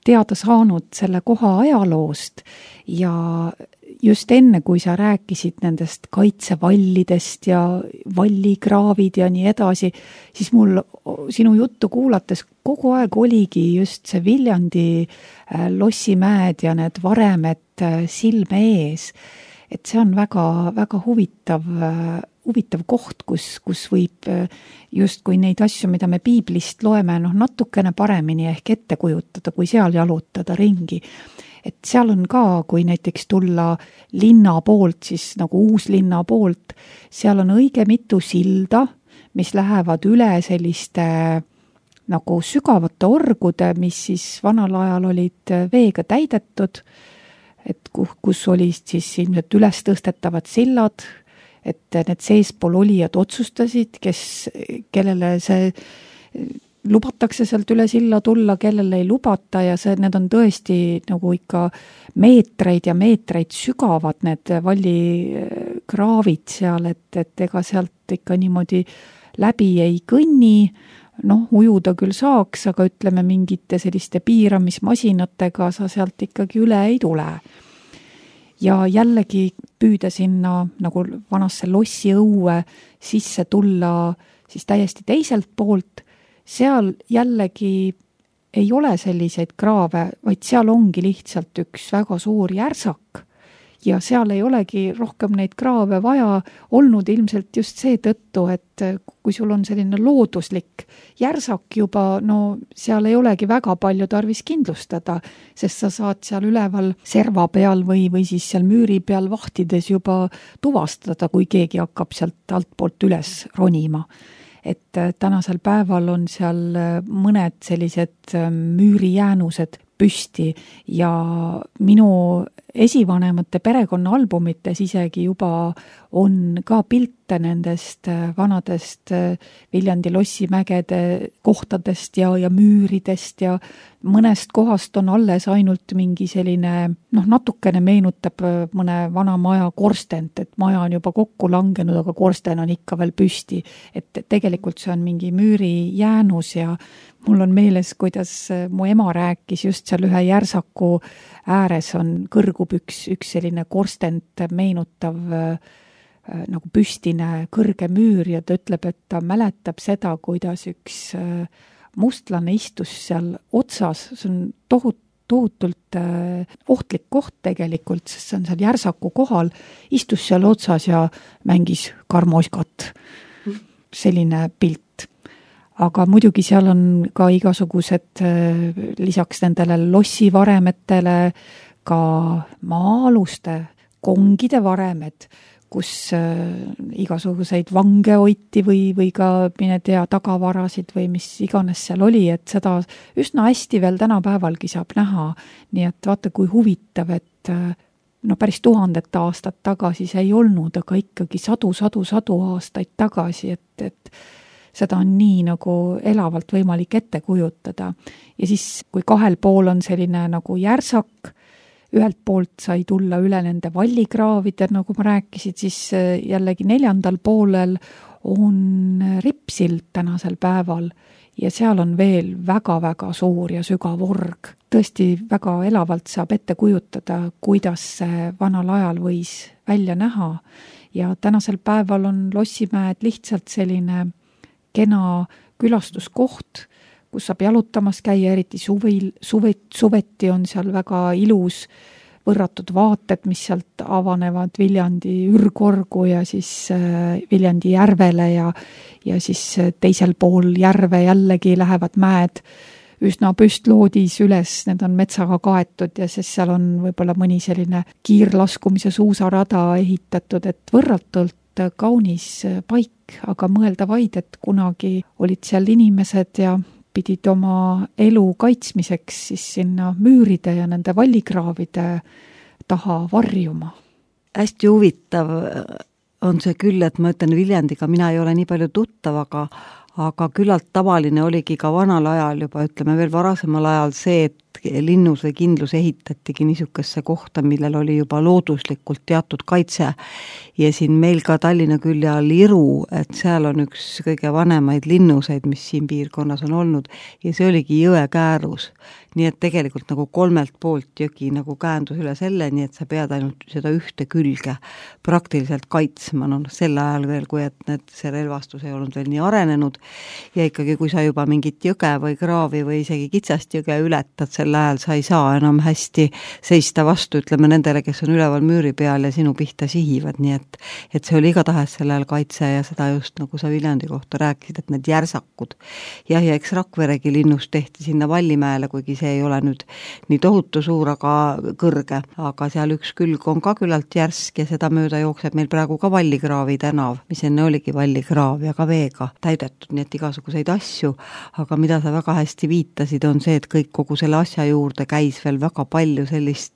teada saanud selle koha ajaloost ja just enne, kui sa rääkisid nendest kaitsevallidest ja vallikraavid ja nii edasi, siis mul sinu juttu kuulates kogu aeg oligi just see Viljandi Lossimäed ja need varemed silme ees. Et see on väga, väga huvitav koht, kus võib just kui neid asju, mida me piiblist loeme, natukene paremini ehk ette kujutada, kui seal jalutada ringi. Et seal on ka, kui näiteks tulla linna poolt, siis nagu Uuslinna poolt, seal on õige mitu silda, mis lähevad üle selliste nagu sügavate orgude, mis siis vanal ajal olid veega täidetud, et kus olid siis ilmselt üles tõstetavad sillad, et need seespool olijad otsustasid, kellele see lubatakse sealt üle silla tulla, kellele ei lubata ja need on tõesti nagu ikka meetreid ja meetreid sügavad need vallikraavid seal, et ega sealt ikka niimoodi läbi ei kõnni, ujuda küll saaks, aga ütleme mingite selliste piiramismasinatega sa sealt ikkagi üle ei tule. Ja jällegi püüda sinna nagu vanasse lossiõue sisse tulla siis täiesti teiselt poolt, seal jällegi ei ole selliseid kraave, vaid seal ongi lihtsalt üks väga suur järsak ja seal ei olegi rohkem neid kraave vaja olnud ilmselt just seetõttu, et kui sul on selline looduslik järsak juba, seal ei olegi väga palju tarvis kindlustada, sest sa saad seal üleval serva peal või siis seal müüri peal vahtides juba tuvastada, kui keegi hakkab sealt altpoolt üles ronima. Et tänasel päeval on seal mõned sellised müürijäänused püsti ja minu esivanemate perekonnaalbumites isegi juba on ka pilte nendest vanadest Viljandi lossimägede kohtadest ja müüridest ja mõnest kohast on alles ainult mingi selline, natukene meenutab mõne vana maja korstent, et maja on juba kokku langenud, aga korsten on ikka veel püsti. Et tegelikult see on mingi müürijäänus ja mul on meeles, kuidas mu ema rääkis just seal ühe järsaku ääres kõrgub üks selline korstent meenutav nagu püstine kõrge müür ja ta ütleb, et ta mäletab seda, kuidas üks mustlane istus seal otsas, see on tohutult ohtlik koht tegelikult, sest see on seal järsaku kohal, istus seal otsas ja mängis karmoskat. Selline pilt. Aga muidugi seal on ka igasugused lisaks nendele lossivaremetele ka maa-aluste kongide varemed, kus igasuguseid vange hoiti või ka mine tea tagavarasid või mis iganes seal oli, et seda üsna hästi veel tänapäevalgi saab näha. Nii et vaata, kui huvitav, et päris 1000 aastat tagasi see ei olnud, aga ikkagi sadu aastaid tagasi, et seda on nii nagu elavalt võimalik ette kujutada. Ja siis, kui kahel pool on selline nagu järsak, ühelt poolt sai tulla üle nende vallikraavide, nagu ma rääkisid, siis jällegi 4. poolel on Ripsild tänasel päeval ja seal on veel väga-väga suur ja sügav org. Tõesti väga elavalt saab ette kujutada, kuidas see vanal ajal võis välja näha ja tänasel päeval on Lossimäed lihtsalt selline kena külastuskoht, kus saab jalutamas käia, eriti suveti on seal väga ilus võrratud vaated, mis sealt avanevad Viljandi ürgorgu ja siis Viljandi järvele ja siis teisel pool järve jällegi lähevad mäed üsna püstloodis üles, need on metsaga kaetud ja siis seal on võib-olla mõni selline kiirlaskumise suusarada ehitatud, et võrratult kaunis paik, aga mõelda vaid, et kunagi olid seal inimesed ja pidid oma elu kaitsmiseks siis sinna müüride ja nende vallikraavide taha varjuma.
Hästi huvitav on see küll, et ma ütlen Viljandiga, mina ei ole nii palju tuttav, aga küllalt tavaline oligi ka vanal ajal juba, ütleme veel varasemal ajal see, et linnus või kindlus ehitatigi niisugesse kohta, millel oli juba looduslikult teatud kaitse. Ja siin meil ka Tallinna külje all Iru, et seal on üks kõige vanemaid linnuseid, mis siin piirkonnas on olnud ja see oligi jõe käärus. Nii et tegelikult nagu 3 poolt jõgi nagu käändus üle selle, nii et sa pead ainult seda ühte külge praktiliselt kaitsma, sel ajal veel, kui et see relvastus ei olnud veel nii arenenud ja ikkagi kui sa juba mingit jõge või kraavi või isegi kitsast jõge ületad, sel ajal sa ei saa enam hästi seista vastu, ütleme nendele, kes on üleval müüri peal ja sinu pihta sihivad, nii et see oli igatahes sel ajal kaitse ja seda just nagu sa Viljandi kohta rääkisid, et need järsakud. Ja eks Rakveregi linnust tehti sinna Vallimäele, kuigi see ei ole nüüd nii tohutu suur, aga kõrge, aga seal üks külg on ka küllalt järsk ja seda mööda jookseb meil praegu ka Vallikraavi tänav, mis enne oligi Vallikraav ja ka veega täidetud, nii et igasuguseid asju, aga mida sa väga hästi viitasid, on see, et kogu selle asja juurde käis veel väga palju sellist,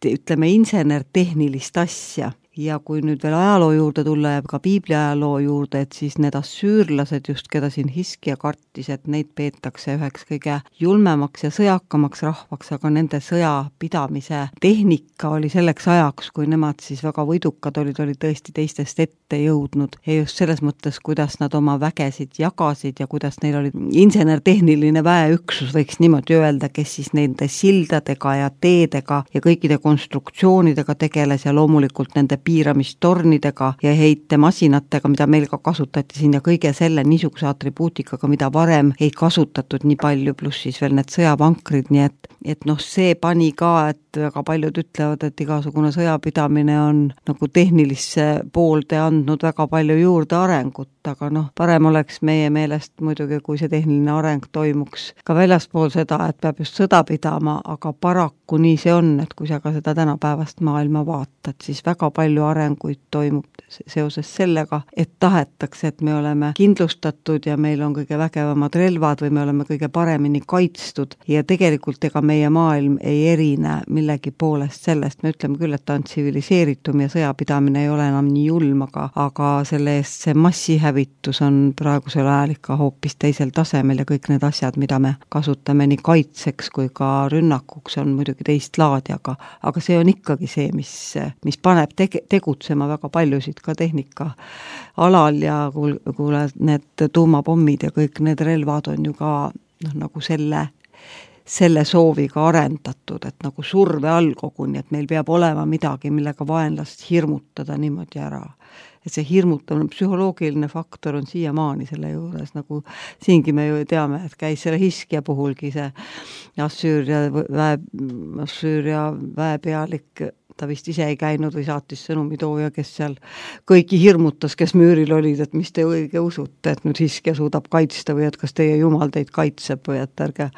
ütleme, insenertehnilist asja. Ja kui nüüd veel ajaloo juurde tulla ja ka piibli ajaloo juurde, et siis need assüürlased just, keda siin Hiskia kartis, et neid peetakse üheks kõige julmemaks ja sõjakamaks rahvaks, aga nende sõjapidamise tehnika oli selleks ajaks, kui nemad siis väga võidukad olid tõesti teistest ette jõudnud. Ja just selles mõttes, kuidas nad oma vägesid jagasid ja kuidas neil oli insenertehniline väeüksus, võiks niimoodi öelda, kes siis nende sildadega ja teedega ja kõikide konstruktsioonidega tegeles ja loomulikult nende piiramistornidega ja heitemasinatega, mida meil ka kasutati siin ja kõige selle niisuguse atribuutikaga, mida varem ei kasutatud nii palju, pluss siis veel need sõjavankrid, nii et see pani ka, et väga paljud ütlevad, et igasugune sõjapidamine on nagu tehnilisse poolde andnud väga palju juurde arengut, aga parem oleks meie meelest muidugi, kui see tehniline areng toimuks ka väljaspool seda, et peab just sõda pidama, aga paraku nii see on, et kui sa ka seda tänapäevast maailma vaatad, siis väga palju arenguid toimub seoses sellega, et tahetakse, et me oleme kindlustatud ja meil on kõige vägevamad relvad või me oleme kõige paremini kaitstud ja tegelikult ega meie maailm ei erine millegi poolest sellest, me ütleme küll, et ta on tsiviliseeritum ja sõjapidamine ei ole enam nii julm, aga selle eest see massihävitus on praegusel ajal ikka hoopis teisel tasemel ja kõik need asjad, mida me kasutame nii kaitseks kui ka rünnakuks, on muidugi teist laadi, aga see on ikkagi see, mis paneb tegutsema väga paljusid ka tehnika alal ja kuule, need tuumapommid ja kõik need relvad on ju ka nagu selle sooviga arendatud, et nagu surve all koguni, et meil peab olema midagi, millega vaenlast hirmutada niimoodi ära. Et see hirmutamine, psühholoogiline faktor on siiamaani selle juures, nagu siingi me ju teame, et käis selle Hiskia puhulgi see Assüüria väepealik, ta vist ise ei käinud või saatis sõnumitooja, kes seal kõiki hirmutas, kes müüril olid, et mis te õige usute, et nüüd Hiskia suudab kaitsta või et kas teie jumal teid kaitseb või et ärge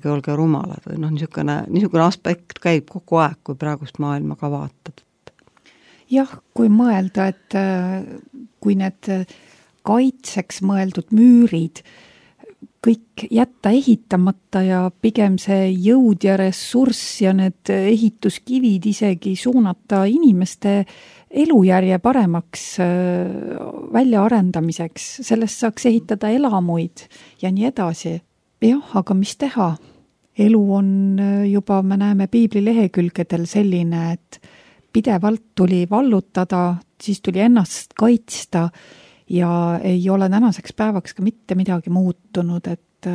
olge rumalad või niisugune aspekt käib kogu aeg, kui praegust maailma ka vaatad.
Jah, kui mõelda, et kui need kaitseks mõeldud müürid kõik jätta ehitamata ja pigem see jõud ja ressurss ja need ehituskivid isegi suunata inimeste elujärje paremaks väljaarendamiseks, sellest saaks ehitada elamuid ja nii edasi. Jah, aga mis teha? Elu on juba, me näeme piibli lehekülgedel selline, et pidevalt tuli vallutada, siis tuli ennast kaitsta ja ei ole tänaseks päevaks ka mitte midagi muutunud, et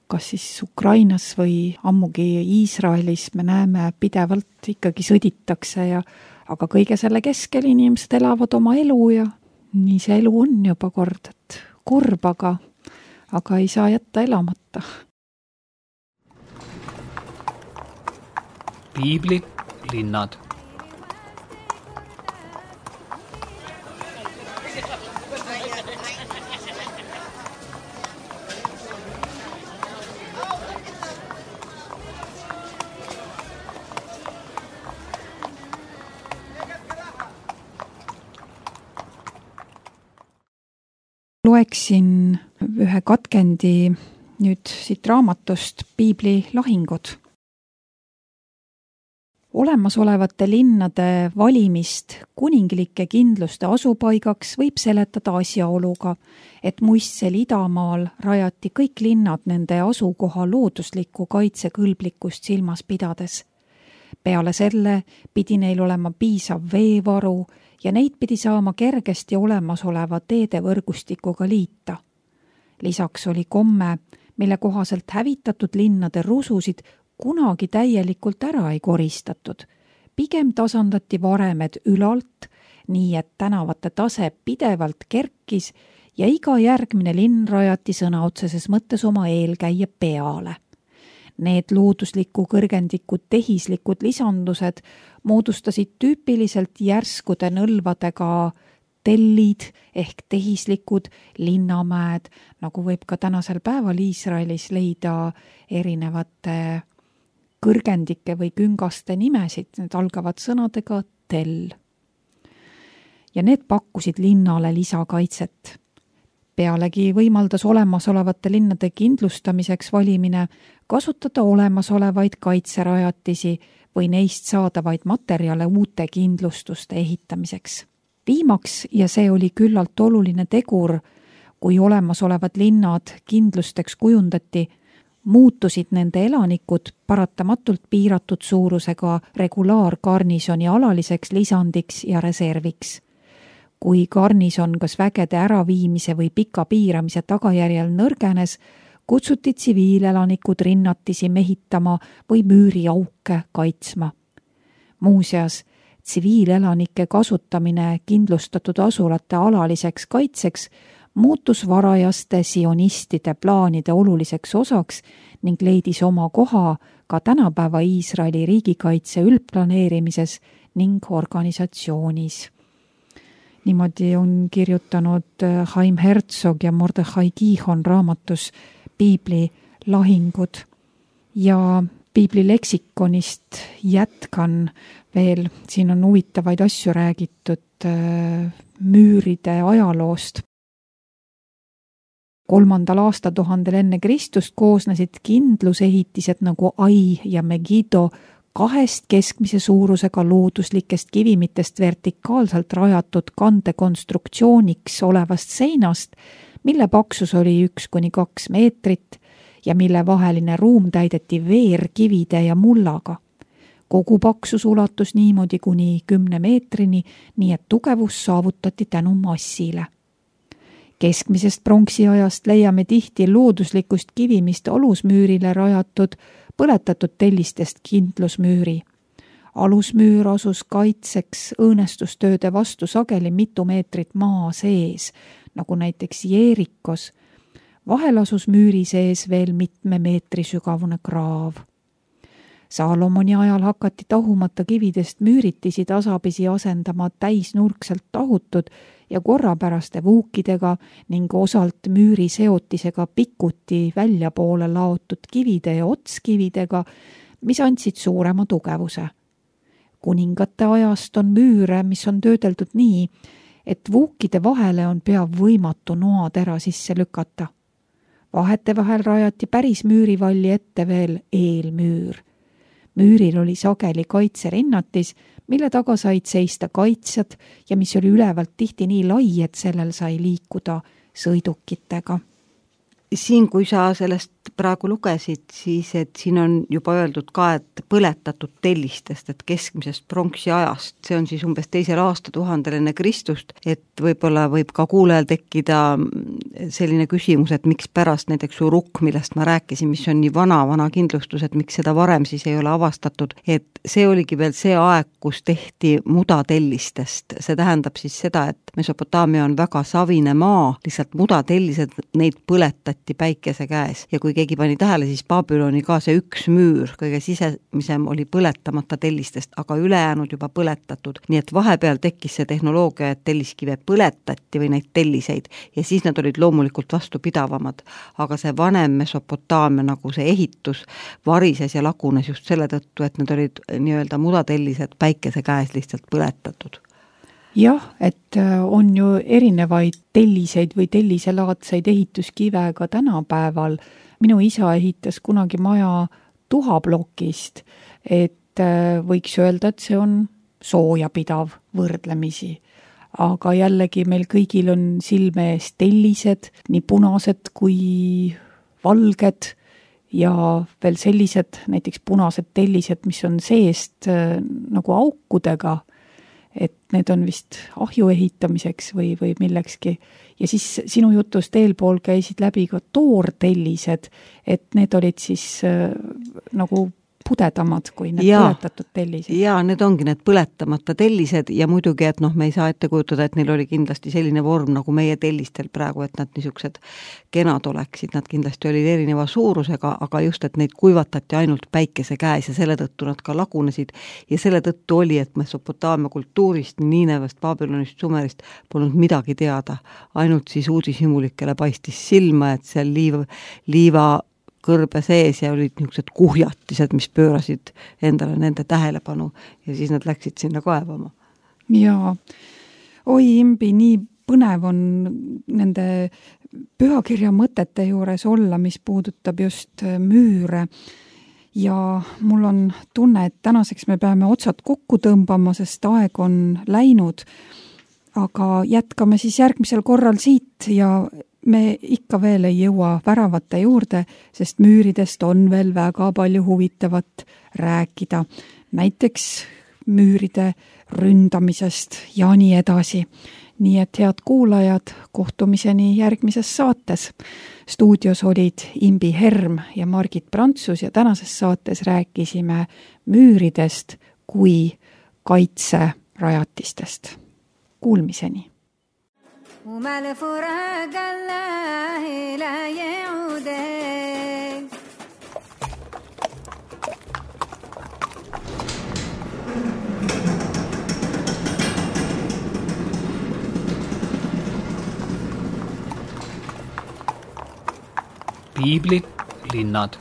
kas siis Ukrainas või ammugi Iisraelis me näeme pidevalt ikkagi sõditakse aga kõige selle keskel inimesed elavad oma elu ja nii see elu on juba kord, et kurb, aga ei saa jätta elamata.
Piibli linnad.
Loeksin ühe katkendi nüüd siit raamatust Piibli lahingud. Olemasolevate linnade valimist kuninglike kindluste asupaigaks võib seletada asjaoluga, et muistsel Idamaal rajati kõik linnad nende asukoha looduslikku kaitsekõlblikkust silmas pidades. Peale selle pidi neil olema piisav veevaru ja neid pidi saama kergesti olemasoleva teedevõrgustikuga liita. Lisaks oli komme, mille kohaselt hävitatud linnade rususid kunagi täielikult ära ei koristatud. Pigem tasandati varemed ülalt, nii et tänavate tase pidevalt kerkis ja iga järgmine linn rajati sõna otseses mõttes oma eelkäija peale. Need loodusliku kõrgendikud tehislikud lisandused moodustasid tüüpiliselt järskude nõlvadega tellid ehk tehislikud linnamäed, nagu võib ka tänasel päeval Iisraelis leida erinevate kõrgendike või küngaste nimesid, need algavad sõnadega tell. Ja need pakkusid linnale lisakaitset. Pealegi võimaldas olemasolevate linnade kindlustamiseks valimine kasutada olemasolevaid kaitserajatisi või neist saadavaid materjale uute kindlustuste ehitamiseks. Viimaks, ja see oli küllalt oluline tegur, kui olemasolevad linnad kindlusteks kujundati, muutusid nende elanikud paratamatult piiratud suurusega regulaargarnisoni alaliseks lisandiks ja reserviks. Kui garnison kas vägede äraviimise või pika piiramise tagajärjel nõrgenes, kutsuti tsiviilelanikud rinnatisi mehitama või müüriauke kaitsma. Muuseas, tsiviilelanike kasutamine kindlustatud asulate alaliseks kaitseks muutus varajaste sionistide plaanide oluliseks osaks ning leidis oma koha ka tänapäeva Iisraeli riigikaitse üldplaneerimises ning organisatsioonis. Niimoodi on kirjutanud Haim Herzog ja Mordechai Gihon raamatus Piibli lahingud. Ja Piibli leksikonist jätkan veel, siin on huvitavaid asju räägitud müüride ajaloost. 3. aastatuhandel enne Kristust koosnesid kindlusehitised nagu Ai ja Megido 2 keskmise suurusega looduslikest kivimitest vertikaalselt rajatud kandekonstruktsiooniks olevast seinast, mille paksus oli 1-2 meetrit ja mille vaheline ruum täideti veerkivide ja mullaga. Kogu paksus ulatus niimoodi kuni 10 meetrini, nii et tugevus saavutati tänu massile. Keskmisest pronksiajast leiame tihti looduslikust kivimist alusmüürile rajatud põletatud tellistest kindlusmüüri. Alusmüür asus kaitseks õõnestustööde vastu sageli mitu meetrit maa sees, nagu näiteks Jeerikos. Vahel asus müüri sees veel mitme meetri sügavune kraav. Saalomoni ajal hakati tahumata kividest müüritisi tasapisi asendama täisnurkselt tahutud ja korrapäraste vuukidega ning osalt müüri seotisega pikuti väljapoole laotud kivide ja otskividega, mis andsid suurema tugevuse. Kuningate ajast on müüre, mis on töödeldud nii, et vuukide vahele on pea võimatu noatera sisse lükata. Vahete vahel rajati päris müürivalli ette veel eelmüür. Müüril oli sageli kaitserennatis, mille taga said seista kaitsjad ja mis oli ülevalt tihti nii lai, et sellel sai liikuda sõidukitega.
Siin, kui sa sellest praegu lugesid, siis et siin on juba öeldud ka, et põletatud tellistest, et keskmisest pronksi ajast, see on siis umbes 2. aastatuhandel enne Kristust, et võib-olla võib ka kuulajal tekkida selline küsimus, et miks pärast näiteks urukk, millest ma rääkisin, mis on nii vana kindlustus, et miks seda varem siis ei ole avastatud, et see oligi veel see aeg, kus tehti mudatellistest. See tähendab siis seda, et Mesopotaamia on väga savine maa, lihtsalt mudatellised, neid põletati päikese käes. Ja kui keegi pani tähele, siis Babyloni ka see üks müür, kõige sisemisem oli põletamata tellistest, aga ülejäänud juba põletatud. Nii et vahepeal tekkis see tehnoloogia, et telliskive põletati või neid telliseid ja siis nad olid loomulikult vastupidavamad. Aga see vanem Mesopotaamia nagu see ehitus varises ja lagunes just selle tõttu, et need olid nii-öelda mudatellised päikese käes lihtsalt põletatud.
Jah, et on ju erinevaid telliseid või telliselaadseid ehituskive ka tänapäeval. Minu isa ehitas kunagi maja tuhablokist, et võiks öelda, et see on soojapidav võrdlemisi. Aga jällegi meil kõigil on silme ees tellised, nii punased kui valged ja veel sellised näiteks punased tellised, mis on seest nagu aukudega, et need on vist ahju ehitamiseks või millekski. Ja siis sinu jutust eelpool käisid läbi ka toortellised, et need olid siis nagu pudedamad kui need põletatud tellised.
Jaa, need ongi need põletamata tellised ja muidugi, et me ei saa ette kujutada, et neil oli kindlasti selline vorm nagu meie tellistel praegu, et nad niisugused kenad oleksid, nad kindlasti olid erineva suurusega, aga just, et neid kuivatati ainult päikese käes ja selle tõttu nad ka lagunesid ja selle tõttu oli, et Mesopotaamia kultuurist, Niinevast, Babylonist, Sumerist polnud midagi teada, ainult siis uudishimulikele paistis silma, et seal liiva kõrbe sees ja olid niisugused kuhjatised, mis pöörasid endale nende tähelepanu ja siis nad läksid sinna kaevama.
Jaa, oi Imbi, nii põnev on nende pühakirja mõtete juures olla, mis puudutab just müüre. Ja mul on tunne, et tänaseks me peame otsad kokku tõmbama, sest aeg on läinud. Aga jätkame siis järgmisel korral siit ja me ikka veel ei jõua väravate juurde, sest müüridest on veel väga palju huvitavat rääkida. Näiteks müüride ründamisest ja nii edasi. Nii et head kuulajad, kohtumiseni järgmises saates. Stuudios olid Imbi Herm ja Margit Prantsus ja tänases saates rääkisime müüridest kui kaitserajatistest. Kuulmiseni!
وما لفراق الله لا يعود
Piiblit, linnad.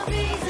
Please.